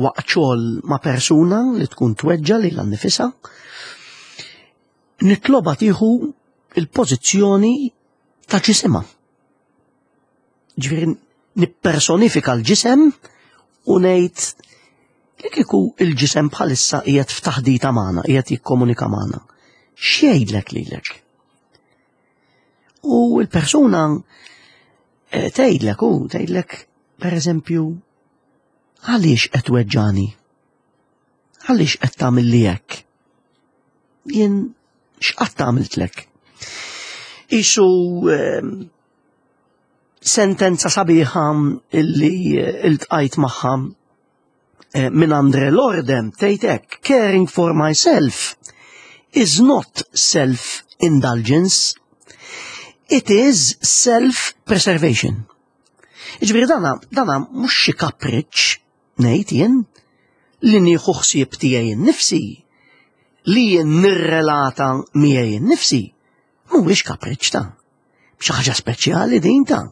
waqt xogħol ma' persuna li tkun tweġġa lilha nnifisha, nitloba tieħu il-pożizzjoni ta' ġisimha. Ġifieri nippersonifika l-ġisem u ngħid li kieku il-ġisem bħalissa qiegħed f'taħdita magħna, qiegħed jikkomunika magħna. X'jgħidlek lilek? U l-persuna eh, tgħidlek u tgħidlek, pereżempju, għaliex qed tweġġani? Għaliex qed tagħmel li hekk? Jien x'qatt għamiltlek? Qisu ehm, sentenza sabiħa illi iltqajt magħha eh, minn Andre Lordem tgħid hekk: "Caring for myself is not self-indulgence, it is self-preservation." Ġifieri dana, dana mhux xi kapriċ ngħid jien li nieħu ħsieb tiegħi nnifsi, li jien nirrelata miegħi nnifsi, mhuwiex kapriċ ta' xi ħaġa speċjali din ta'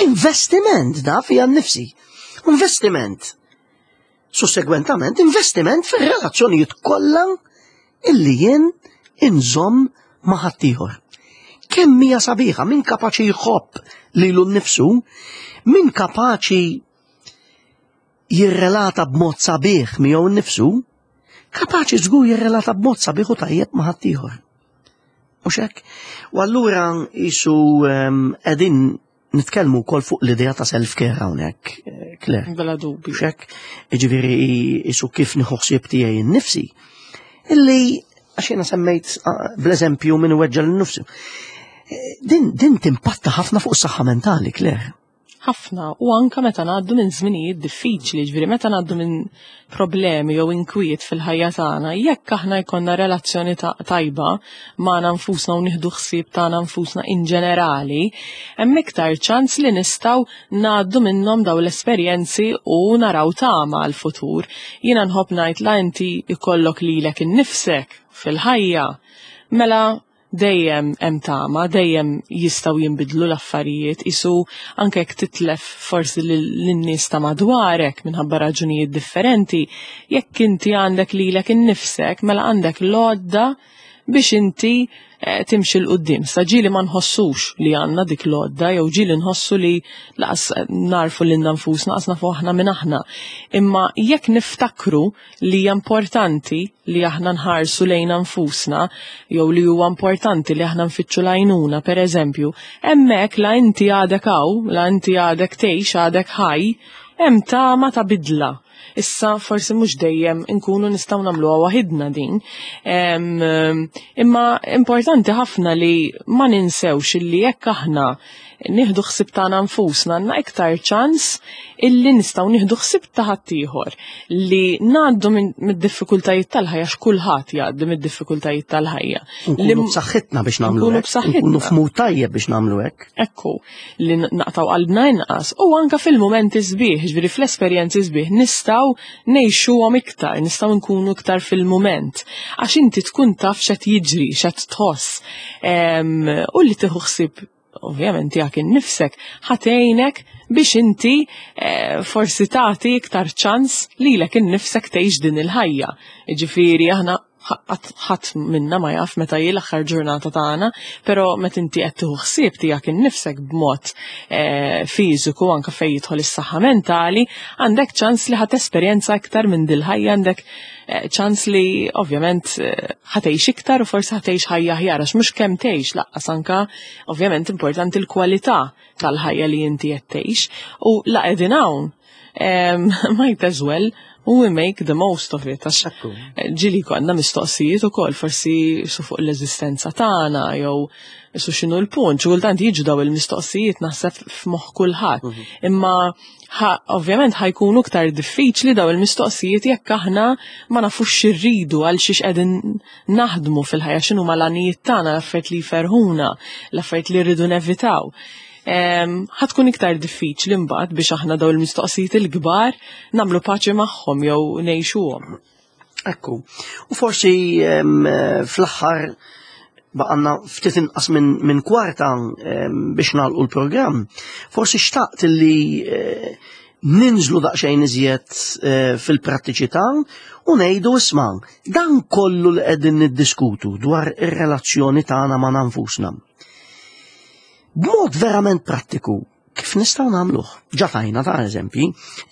investiment da fija nnifsi. Investiment. Sussegwentament, investiment fir-relazzjonijiet kollha illi jien inżomm ma' ħaddieħor. Kemm hija sabiħa min kapaċi jħobb lilu nnifsu, min kapaċi jirrelata b'mod sabiħ miegħu nnifsu, kapaċi żgur jirrelata b'mod sabiħ u tajjeb ma' ħaddieħor. Mhux hekk? U allura qisu qegħdin nitkellmu wkoll fuq l-idea ta' self-care hawnhekk, eh, Claire. Bla dubju. Mhux hekk? Jiġifieri qisu kif nieħu ħsieb tiegħi nnifsi. Illi Għax jiena semmejt ah, bl-eżempju minn weġġa' lil nifsu. Eh, Din, din timpatta ħafna fuq is-saħħa mentali, Claire. Ħafna, u anka meta ngħaddu minn żminijiet diffiċli, ġifieri meta ngħaddu minn problemi jew inkwiet fil-ħajja tagħna, jekk aħna jkollna relazzjoni ta' tajba magħna nfusna u nieħdu ħsieb tagħna nfusna in ġenerali, hemm iktar ċans li nistgħu ngħaddu minnhom daw l-esperjenzi u naraw tama għal-futur. Jiena nħobb ngħid la inti ikollok lilek innifsek fil-ħajja, mela dejjem hemm tama, dejjem jistgħu jinbidlu l-affarijiet, isu anke jekk titlef forsi lin-nies ta' madwarek minħabba raġunijiet differenti, jekk inti għandek lilek innifsek, mela għandek l-għodda biex inti eh, timxi 'l quddiem. Sa ġieli ma nħossux li għandna dik l-għodda, jew ġieli nħossu li lanqas narfu lilna nfusna, lanqas nafu aħna minn aħna. Imma jekk niftakru li hija importanti li aħna nħarsu lejna nfusna, jew li huwa importanti li aħna nfittxu l-għajnuna, per eżempju, hemmhekk la inti għadek hawn, la inti għadek tgħix, għadek ħaj, hemm tama ta' bidla. Issa forsi mhux dejjem inkunu nistgħu nagħmluha waħidna din. Em, imma importanti ħafna li ma ninsewx illi jekk aħna nieħdu ħsieb tagħna nfusna għandna iktar ċans illi nistgħu nieħdu ħsieb ta' ħaddieħor li ngħaddu mid-diffikultajiet tal-ħajja x'kulħadd jgħaddi mid-diffikultajiet tal-ħajja. Nkunu b'saħħitna biex nagħmlu Nkunu hekk. b'saħħitna. Nkunu f'mood tajjeb biex nagħmlu hekk. Ekku, li naqtgħu qalbna inqas u anka fil-momenti sbieħ, ġifieri fl-esperjenzi sbieħ, nistgħu ngħixuhom iktar, nistgħu nkunu iktar fil-moment. Għax inti tkun taf x'qed jiġri, x'qed tħoss. Em, U li tieħu ħsieb ovvjament tiegħek innifsek ħa tgħinek biex inti eh, forsi tagħti iktar ċans lilek innifsek tgħix din il-ħajja. Ġifieri aħna ħadd minna ma jaf meta hi l-aħħar ġurnata tagħna, però meta inti qed tieħu ħsieb tiegħek innifsek b'mod eh, fiżiku anke fejn jidħol is-saħħa mentali, għandek ċans li ħa tesperjenza iktar minn dil-ħajja, għandek eh, ċans li ovvjament eh, ħa tgħix iktar u forsi ħa tgħix ħajja aħjar għax mhux kemm tgħix lanqas anka ovvjament importanti l-kwalità tal-ħajja li inti qed tgħix u la qegħdin hawn em, might as well we make the most of it għax ġieli konna mistoqsijiet ukoll forsi su fuq l-eżistenza tagħna jew su x'inhu l-punt, xi kultant jiġu daw il-mistoqsijiet naħseb f'moħħ kulħadd. Imma ħa- ovvjament ħa jkunu iktar diffiċli daw il-mistoqsijiet jekk aħna ma nafux x'irridu għal xiex qegħdin naħdmu fil-ħajja x'inhu l-għanijiet tagħna, l-affarijiet li jferħuna, l-affarijiet li rridu nevitaw. Em, ħa tkun iktar diffiċli mbagħad biex aħna daw il-mistoqsijiet il-kbar nagħmlu paċi magħhom jew ngħixuhom. Ekku. U forsi em, fl-aħħar baqgħalna ftit inqas minn min kwarta em, biex nagħlqu l-programm. Forsi xtaqt li eh, ninżlu daqsxejn iżjed eh, fil-prattiċità u ngħidu isma' dan kollu li qegħdin niddiskutu dwar ir-relazzjoni tagħna ma' nfusna. B'mod verament prattiku, kif nistgħu nagħmluh? Ġa tajna ta' eżempji,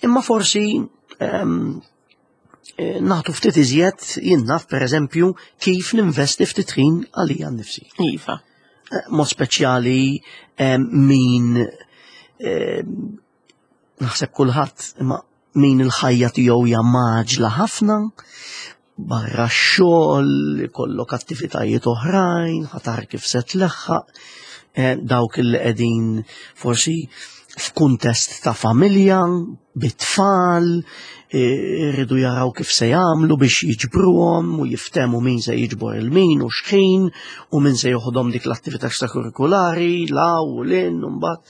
imma forsi em, eh, nagħtu ftit iżjed jien naf per eżempju kif ninvesti ftit ħin għalija nnifsi. Iva. Eh, Mod speċjali em, min em, naħseb kulħadd imma min il-ħajja tiegħu hija mgħaġġla ħafna, barra x-xogħol, ikollok attivitajiet oħrajn, ħa tara kif se tleħħaq, eh, dawk li qegħdin forsi f'kuntest ta' familja, bit-tfal, eh, irridu jaraw kif se jagħmlu biex jiġbruhom u jiftehmu min se jiġbor il-min u x'ħin u min se joħodhom dik l-attività extrakurrikulari, la u lin, u mbagħad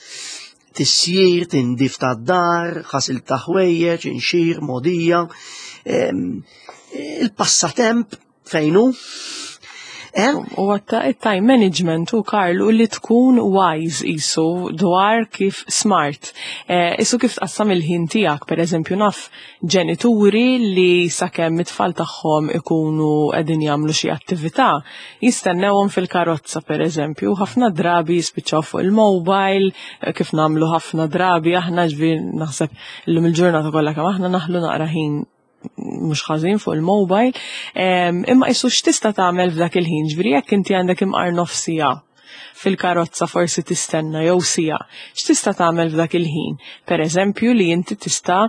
tisjir, tindif ta' dar, ħasil ta' ħwejjeġ, inxir, modija, em, il-passatemp fejn hu? Eh? U għatta il-time management u Karl u li tkun wise isu dwar kif smart. Eh, isu kif tqassam il-ħin tiegħek, per eżempju naf ġenituri li sakemm it-tfal tagħhom ikunu qegħdin jagħmlu xi attività, jistennewhom fil-karozza per eżempju, ħafna drabi jispiċċaw fuq il-mobile, eh, kif nagħmlu ħafna drabi aħna ġifieri naħseb illum il-ġurnata kollha kemm aħna naħlu naqra ħin mhux ħażin fuq il-mobile, em, imma isu x'tista' tagħmel f'dak il-ħin, ġifieri jekk inti għandek imqar nofs siegħa fil-karozza forsi tistenna jew siegħa. X'tista' tagħmel f'dak il-ħin? Per eżempju, li inti tista'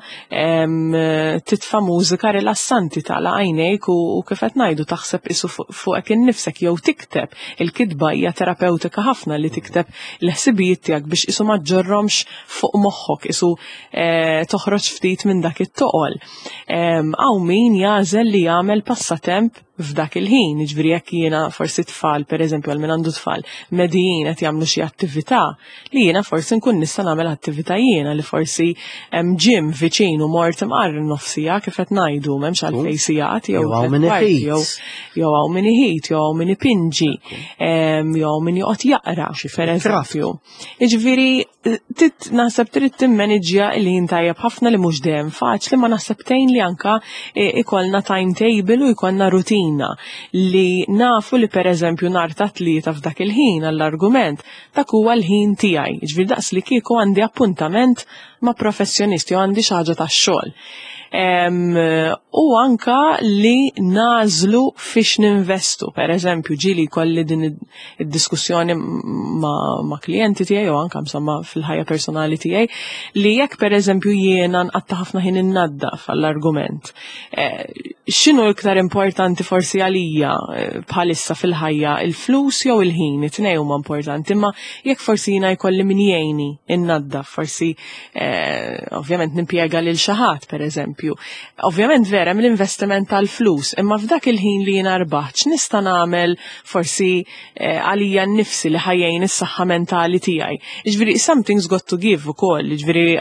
titfa' mużika rilassanti, tagħlaq għajnejk u, u kif qed ngħidu, taħseb isu fuqek innifsek jew tikteb. Il-kitba hija terapeutika ħafna, li tikteb l-ħsibijiet tiegħek biex isu ma ġġorrhomx fuq moħħok, isu eh, toħroġ ftit minn dak it-toqol. Hawn min jagħżel li jagħmel passatemp f'dak il-ħin, ġifieri jekk jiena forsi tfal, per eżempju, għal min għandu tfal, medijin qed jagħmlu xi attività, li jiena forsi nkun nista' nagħmel attività jiena, li forsi hemm gym viċin u mort imqarr nofsija, kif qed ngħidu, m'hemmx għalfejn sigħat jew jew jew hawn min iħit, jew hawn min ipinġi, jew hawn min joqgħod jaqra, per eżempju. Jiġifieri tit naħseb trid timmaniġġja il-ħin tajjeb ħafna, li mhux dejjem faċli, ma naħseb tgħin li anka ikollna timetable u jkollna rutina li nafu li, per eżempju, nhar ta' Tlieta f'dak il-ħin, għall-argument, dak huwa l-ħin tiegħi. Ġifieri daqs li kieku għandi appuntament ma' professjonisti u għandi xi ħaġa tax-xogħol. U anka li nagħżlu fiex ninvestu. Per eżempju, ġieli kelli din id-diskussjoni ma, ma klijenti tiegħi u anka insomma fil-ħajja personali tiegħi, li jekk, per eżempju, jiena nqatta' ħafna ħin innaddaf, għall-argument, Eh, x'inhu iktar importanti forsi għalija eh, bħalissa fil-ħajja, il-flus jew il-ħin? It-tnejn huma importanti, imma jekk forsi jiena jkolli min jgħinni innaddaf, forsi eh, ovvjament nimpjega lil xi ħadd, per eżempju. Ovvjament vera mill-investiment tal-flus, imma f'dak il-ħin li jiena rbaħt, x'nista' nagħmel forsi eh, għalija nnifsi li ħa jgħin is-saħħa mentali tiegħi? Ġifieri something's got to give ukoll, ġifieri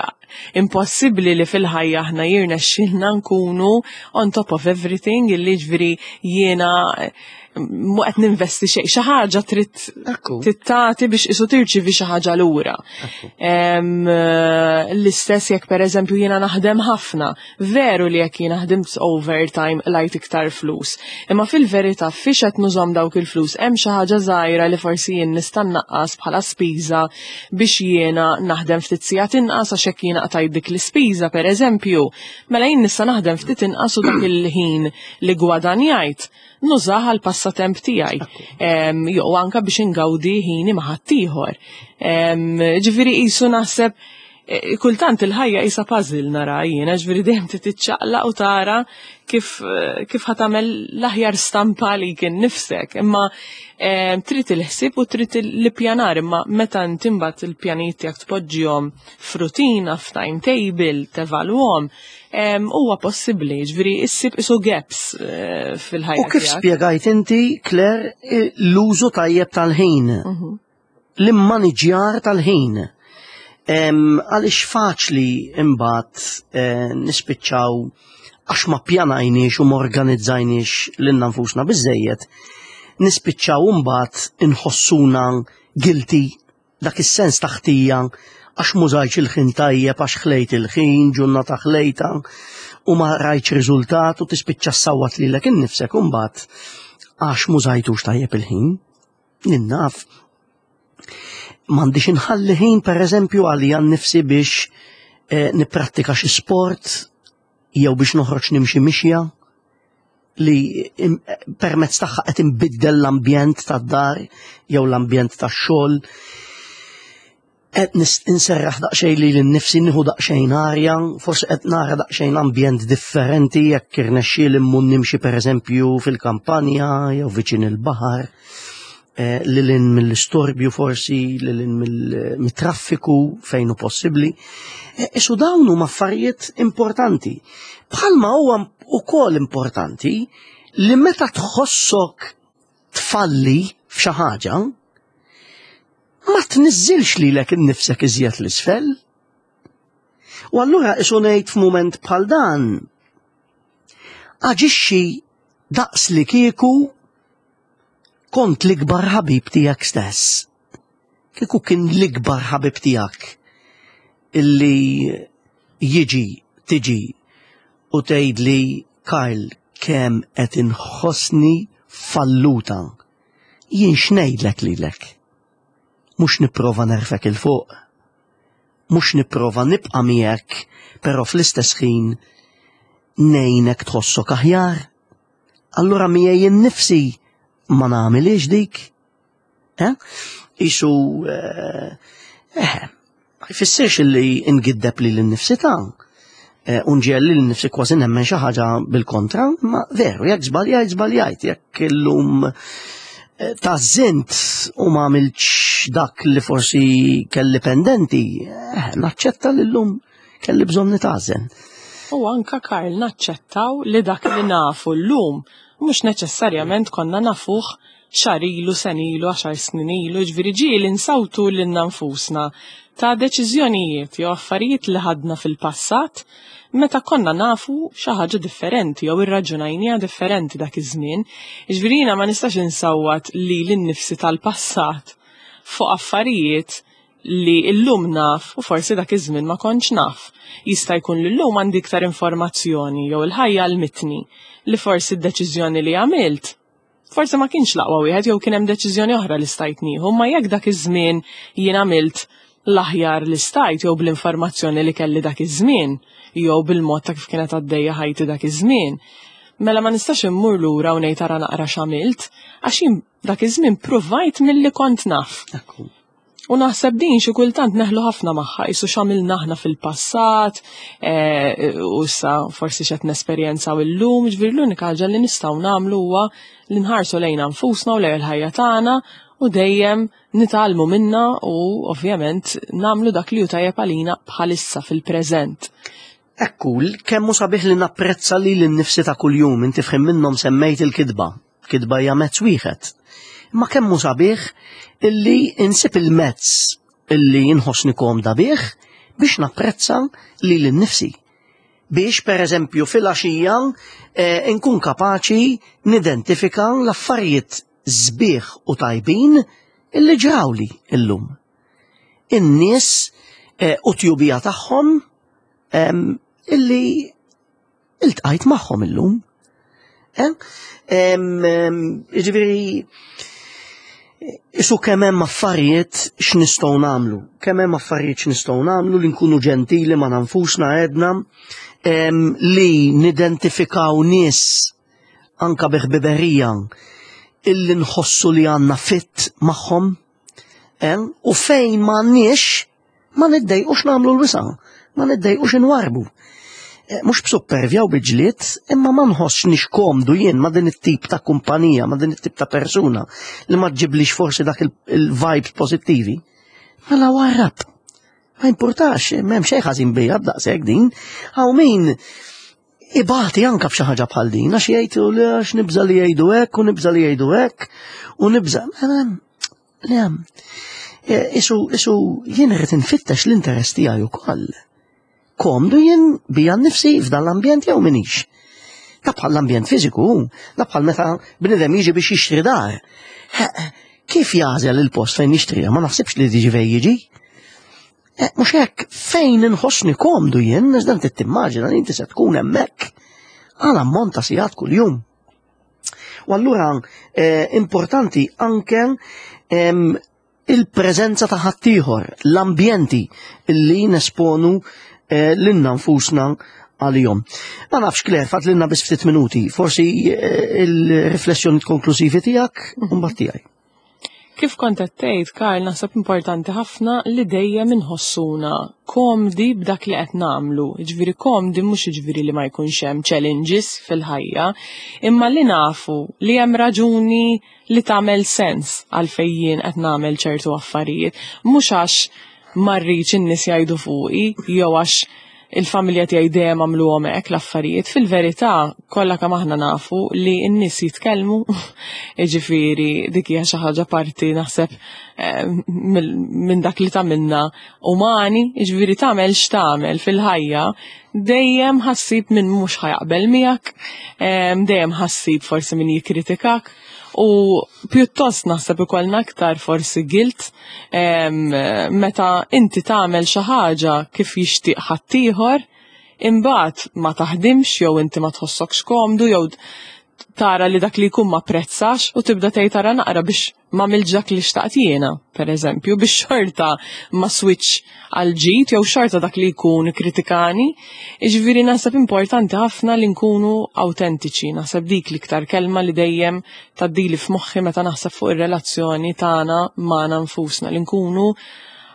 impossibbli li fil-ħajja aħna jirnexxilna nkunu on top of everything, illi ġifieri jiena eh, mu qed ninvesti xejn, xi ħaġa trid Ekku. tittati biex isu tirċivi xi ħaġa lura. Em, eh, L-istess jekk, per eżempju, jiena naħdem ħafna, veru li jekk jiena ħdimt overtime qlajt iktar flus. Imma fil-verità fiex qed nużahom dawk il-flus? Hemm xi ħaġa żgħira li forsi jien nista' nnaqqas bħala spiża biex jiena naħdem ftit sigħat inqas, għax jekk jiena qtajt dik l-ispiża, per eżempju, mela jien nista' naħdem ftit inqas u dak il-ħin li gwadanjajt nużah għal passatemp tiegħi. Em, Jew anka biex ingawdi ħini ma' ħaddieħor. Em, Ġifieri qisu naħseb eh, kultant il-ħajja qisha puzzle nara jiena, ġifieri dejjem titċaqlaq u tara kif eh, kif ħa tagħmel l-aħjar stampa li kien nifsek. Imma eh, trid il-ħsieb u trid l-ippjanar, imma meta inti mbagħad il-pjanijiet tiegħek tpoġġihom f'rutina, f'timetable, tevalwhom, em, huwa possibbli, ġifieri issib isu gaps eh, fil-ħajja U kif tiegħek. spjegajt inti, Claire, l-użu tajjeb tal-ħin, Mhm. l-immaniġjar tal-ħin. Em, Għaliex faċli imbagħad eh, nispiċċaw, għax ma pjanajniex u ma organizzajniex lilna nfusna biżejjed, nispiċċaw imbagħad inħossuna guilty, dak is-sens ta' ħtija għax m'użajtx il-ħin tajjeb, għax ħlejt il-ħin, ġurnata ħlejta u ma rajtx riżultat, u tispiċċa ssawwat lilek innifsek imbagħad għax m'użajtux tajjeb il-ħin. Naf m'għandix inħalli ħin, per eżempju, għalija nnifsi biex eh, nipprattika xi sport jew biex noħroġ nimxi mixja li im- permezz tagħha qed inbiddel l-ambjent tad-dar jew l-ambjent tax-xogħol. Qed nis- inserraħ daqsxejn lili nnifsi, nieħu daqsxejn arja, forsi qed nara daqsxejn ambjent differenti jekk irnexxieli mmur nimxi, per eżempju, fil-kampanja jew viċin il-baħar, eh, lil hinn mill-istorbju forsi, lil hinn mill- mit-traffiku fejn hu possibbli. Eh, Isu dawn huma affarijiet importanti. Bħalma huwa ukoll importanti li meta tħossok tfalli f'xi ħaġa, ma tniżżilx lilek innifsek iżjed 'l isfel. U allura isu ngħid, f'mument bħal dan, aġixxi daqs li kieku kont l-ikbar ħabib tiegħek stess. Kieku kien l-ikbar ħabib tiegħek illi jiġi, tiġi u tgħidli, "Karl, kemm qed inħossni falluta." Jien x'ngħidlek lilek? Mhux nipprova nerfgħek 'il fuq. Mhux nipprova nibqa' miegħek, però fl-istess ħin ngħinek tħossok aħjar. Allura miegħi innifsi ma nagħmilix dik. Eh? Isu, eh, eh, ma jfissirx li ngiddeb lili nnifsi ta' eh, u nġiegħel lili nnifsi kważi nemmen xi ħaġa bil-kontra, ma veru, jekk żbaljajt, żbaljajt, jekk illum eh, tgħażżint u ma għamiltx dak li forsi kelli pendenti, eh, naċċetta li llum kelli bżonn nitgħażżen. U anka, Karl, naċċettaw li dak li nafu llum mhux neċessarjament konna nafuh xahar ilu, sena ilu, għaxar snin ilu, ġifieri ġieli nsawtu lilna nfusna ta' deċiżjonijiet jew affarijiet li ħadna fil-passat meta konna nafu xi ħaġa differenti jew irraġunajnija differenti dak iż-żmien. Ġifieri jiena ma nistax insawwat lili nnifsi tal-passat fuq affarijiet li illum naf u forsi dak iż-żmien ma kontx naf. Jista' jkun li llum għandi iktar informazzjoni jew il-ħajja għallmitni li forsi d-deċiżjoni li għamilt forsi ma kienx l-aqwa wieħed jew kien hemm deċiżjoni oħra li stajt nieħu, ma jekk dak iż-żmien jien għamilt l-aħjar li stajt jew bl-informazzjoni li kelli dak iż-żmien jew bil-mod ta' kif kienet għaddejja ħajti dak iż-żmien. Mela ma nistax immur lura u ngħid ara naqra x'għamilt, għax jien dak iż-żmien provajt milli kont naf. Ekku. U naħseb din xi kultant neħlu ħafna magħha, qisu x'għamilna aħna fil-passat, eh, u issa forsi x'qed nesperjenzaw illum, ġifieri l-unika ħaġa li nistgħu nagħmlu huwa li nħarsu lejna nfusna u lejn il-ħajja tagħna u dejjem nitgħallmu minna u ovvjament nagħmlu dak li hu tajjeb għalina bħalissa fil-preżent. Ekku, kemm hu sabiħ li napprezza lili nnifsi ta' kuljum, inti f'ħin minnhom semmejt il-kitba. Kitba hija mezz wieħed. Ma kemm hu sabiħ illi insib il-mezz illi inħossni komda bih biex napprezza lili nnifsi. Biex, per eżempju, fil-għaxija eh, nkun kapaċi nidentifika l-affarijiet sbieħ u tajbin illi ġrawli illum. In-nies eh, u t-tjubija tagħhom em, illi iltqajt magħhom illum. Eh? Em, em, Ġifieri, isu kemm hemm affarijiet x'nistgħu nagħmlu, kemm hemm affarijiet x'nistgħu nagħmlu li nkunu ġentili ma' nfusna għedna, em, li nidentifikaw nies anka bi ħbiberija illi nħossu li għandna fit magħhom, em, u fejn ma għandniex ma niddejqux nagħmlu l-wisa', ma niddejqux inwarbu. Eh, Mhux b'suppervja u bi ġlied, imma ma nħossnix komdu jien ma' din it-tip ta' kumpanija, ma' din it-tip ta' persuna li ma ġġiblix forsi dak il-vibes pozittivi. Mela warrab. Ma importax, m'hemm xejn ħażin bija b'daqshekk din. Hawn min ibati anka b'xi ħaġa bħal din, għax jgħidu li għax nibża li jgħidu hekk u nibża li jgħidu hekk u nibża. Le, eh, isu, isu jien irrid infittex l-interess tiegħi wkoll. Komdu jien bija nnifsi f'dan l-ambjent jew minix. Da bħal l-ambjent fiżiku, da bħal meta bnidem jiġi biex jixtri dar. Kif jagħżel il-post fejn jixtriha? Ma naħsibx li tiġi fejn jiġi. Eh, mhux hekk fejn inħossni komdu jien, iżda inti timmaġina li inti se tkun hemmhekk għal ammont ta' sigħat kuljum. U allura eh, importanti anke em, il-preżenza ta' ħaddieħor, l-ambjenti illi nesponu eh, lilna nfusna għalihom. Ma nafx, Claire, fadlilna biss ftit minuti, forsi eh, il-riflessjoni konklusivi tiegħek u mbagħad tiegħi. Kif kont qed tgħid, Karl, naħseb importanti ħafna li dejjem inħossuna komdi b'dak li qed nagħmlu. Jiġifieri komdi mhux jiġifieri li ma jkunx hemm challenges fil-ħajja, imma li nafu li hemm raġuni li tagħmel sens għalfejn jien qed nagħmel ċertu affarijiet, mhux għax ma rridx in-nies jgħidu fuqi jew għax il-familja tiegħi dejjem għamluhom hekk l-affarijiet. Fil-verità, kollha kemm aħna nafu li n-nies jitkellmu, jiġifieri dik hija xi ħaġa parti naħseb eh, minn dak li tagħmilna umani, jiġifieri tagħmel x'tagħmel fil-ħajja, dejjem ħa ssib min mhux ħa jaqbel miegħek, eh, dejjem ħa ssib forsi min jikkritikak. U pjuttost naħseb ikollna aktar forsi guilt em, meta inti tagħmel xi ħaġa kif jixtieq ħaddieħor, imbagħad ma taħdimx jew inti ma tħossokx komdu jew Tara li dak li jkun ma prezzax u tibda tgħid, "Tara naqra biex ma dak li xtaqt jiena," per eżempju, biex xorta ma switch għal ġid jew xorta dak li jkun kritikani. Iġifieri naħseb importanti ħafna li nkunu autentiċi, naħseb dik l-iktar kelma li dejjem tgħaddili f'moħħi meta naħseb fuq ir-relazzjoni tagħna magħna nfusna, li nkunu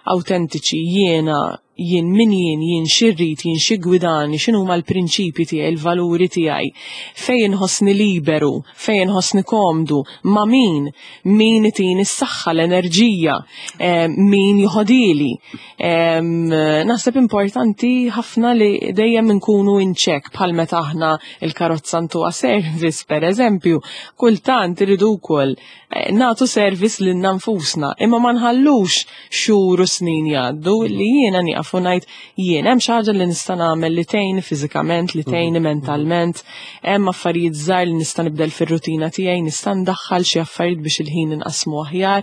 autentiċi, jiena jien min jien, jien x'irrid, jien x'jiggwidani, x'inhu huma l-prinċipji tiegħi, il-valuri tiegħi, fejn inħossni liberu, fejn inħossni komdu, ma' min, min itini s-saħħa, l-enerġija, eh, min joħodili. Naħseb importanti ħafna li dejjem nkunu in check, bħal meta aħna il-karozza ntuha service, per eżempju, kultant iridu wkoll eh, nagħtu service lil nfusna, imma ma nħallux xhur u snin jgħaddu li jiena nieqaf u ngħid, "Jien hemm xi ħaġa li nista' nagħmel li tgħinni fiżikament, li tgħinni mentalment, hemm affarijiet żgħar li nista' nibdel fir-rutina tiegħi, nista' ndaħħal xi affarijiet biex il-ħin inqasmu aħjar?"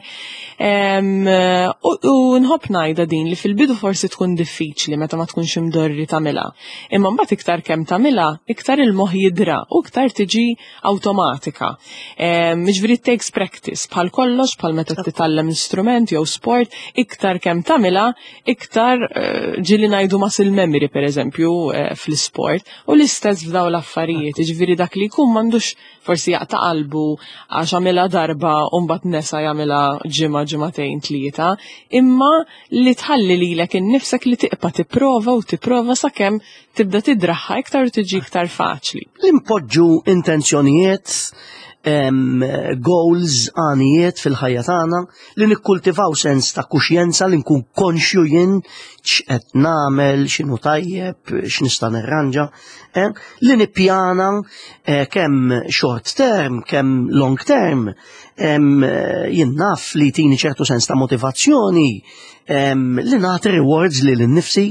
U nħobb ngħidha din li fil-bidu forsi tkun diffiċli meta ma tkunx imdorri tagħmilha. Imma mbagħad iktar kemm tagħmilha, iktar il-moħħ jidra u iktar tiġi awtomatika. Jiġifieri it takes practice, bħal kollox, bħal meta titgħallem instrument jew sport, iktar kemm tagħmilha, iktar eh, ġieli ngħidu muscle memory, per eżempju, eh, fl-sport, u l-istess f'daw l-affarijiet, ġifieri dak li jkun m'għandux forsi jaqta' qalbu għax għamilha darba u mbagħad nesa jagħmilha ġimgħa, ġimagħtejn, tlieta, imma li tħalli lilek innifsek li tibqa' tipprova u tipprova sakemm tibda tidraha iktar u tiġi iktar faċli. Li npoġġu intenzjonijiet, em, goals, għanijiet fil-ħajja tagħna, li nikkultivaw sens ta' kuxjenza, li nkun konxju jien x'qed nagħmel, x'inhu tajjeb, x'nista' nirranġa, eh? Li nippjana eh, kemm short term, kemm long term, em, eh, jien naf li tini ċertu sens ta' motivazzjoni, em, li nagħti rewards lili nnifsi,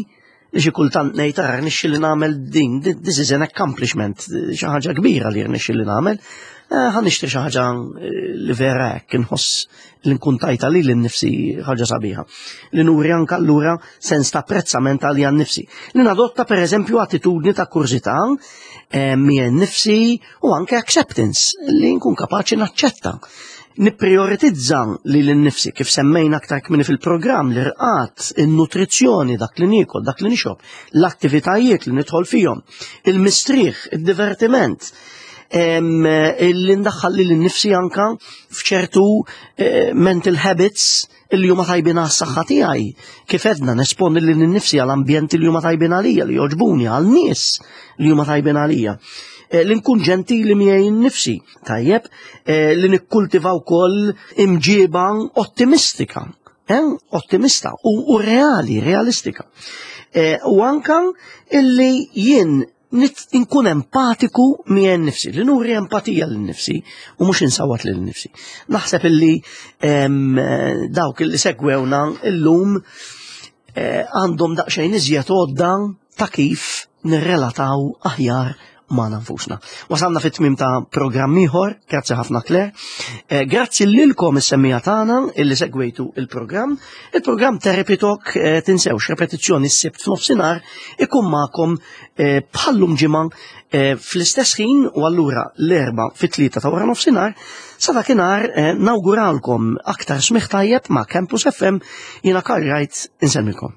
li xi kultant ngħid, "Ara rnexxieli nagħmel din, this is an accomplishment, xi ħaġa kbira li rnexxieli nagħmel. Eh, ħa nixtri xi ħaġa eh, li vera hekk inħoss li nkun tajta lili nnifsi ħaġa sabiħa." Li nuri anke allura sens ta' apprezzament għalija nnifsi. Li nadotta, per eżempju, attitudni ta' kurżità eh, miegħi nnifsi u anke acceptance, li nkun kapaċi naċċetta. Nipprioritizza lili nnifsi, kif semmejna aktar kmieni fil-programm, l-irqad, il-nutrizzjoni, dak li niekol, dak li nixrob, l-attivitajiet li nidħol fihom, il-mistrieħ, il-divertiment, em, li ndaħħal lili nnifsi anka f'ċertu eh, mental habits illi huma tajbin għas-saħħa tiegħi. Kif edna, nesponi lili nnifsi għal ambjenti li huma tajbin għalija, li jogħġbuni, għal nies li huma tajbin għalija. Eh, li nkun ġentili miegħi nnifsi, tajjeb, eh, li nikkultiva wkoll imġiba ottimistika, eh, ottimista u, u reali, realistika. Eh, u anka illi jien nit- nkun empatiku miegħi nnifsi, li nuri empatija lil nifsi u mhux insawat lil nifsi. Naħseb illi em, eh, dawk illi segwewna illum eh, għandhom daqsxejn iżjed għodda ta' kif nirrelataw aħjar ma' nfusna. Wasalna fit-tmim ta' programm ieħor, grazzi ħafna, Claire. Eh, grazzi lilkom is-semmiegħa tagħna illi segwejtu il-programm. Il-programm Therapy Talk, eh, tinsewx, repetizzjoni s-Sibt f'nofsinhar, ikun magħkom eh, bħallum ġimgħa eh, fl-istess ħin u allura l-Erbgħa fit-tlieta ta' wara nofsinhar. Sa dakinhar eh, nawguralkom aktar smigħ tajjeb ma' Campus F M. Jiena Karl Wright, insellmilkom.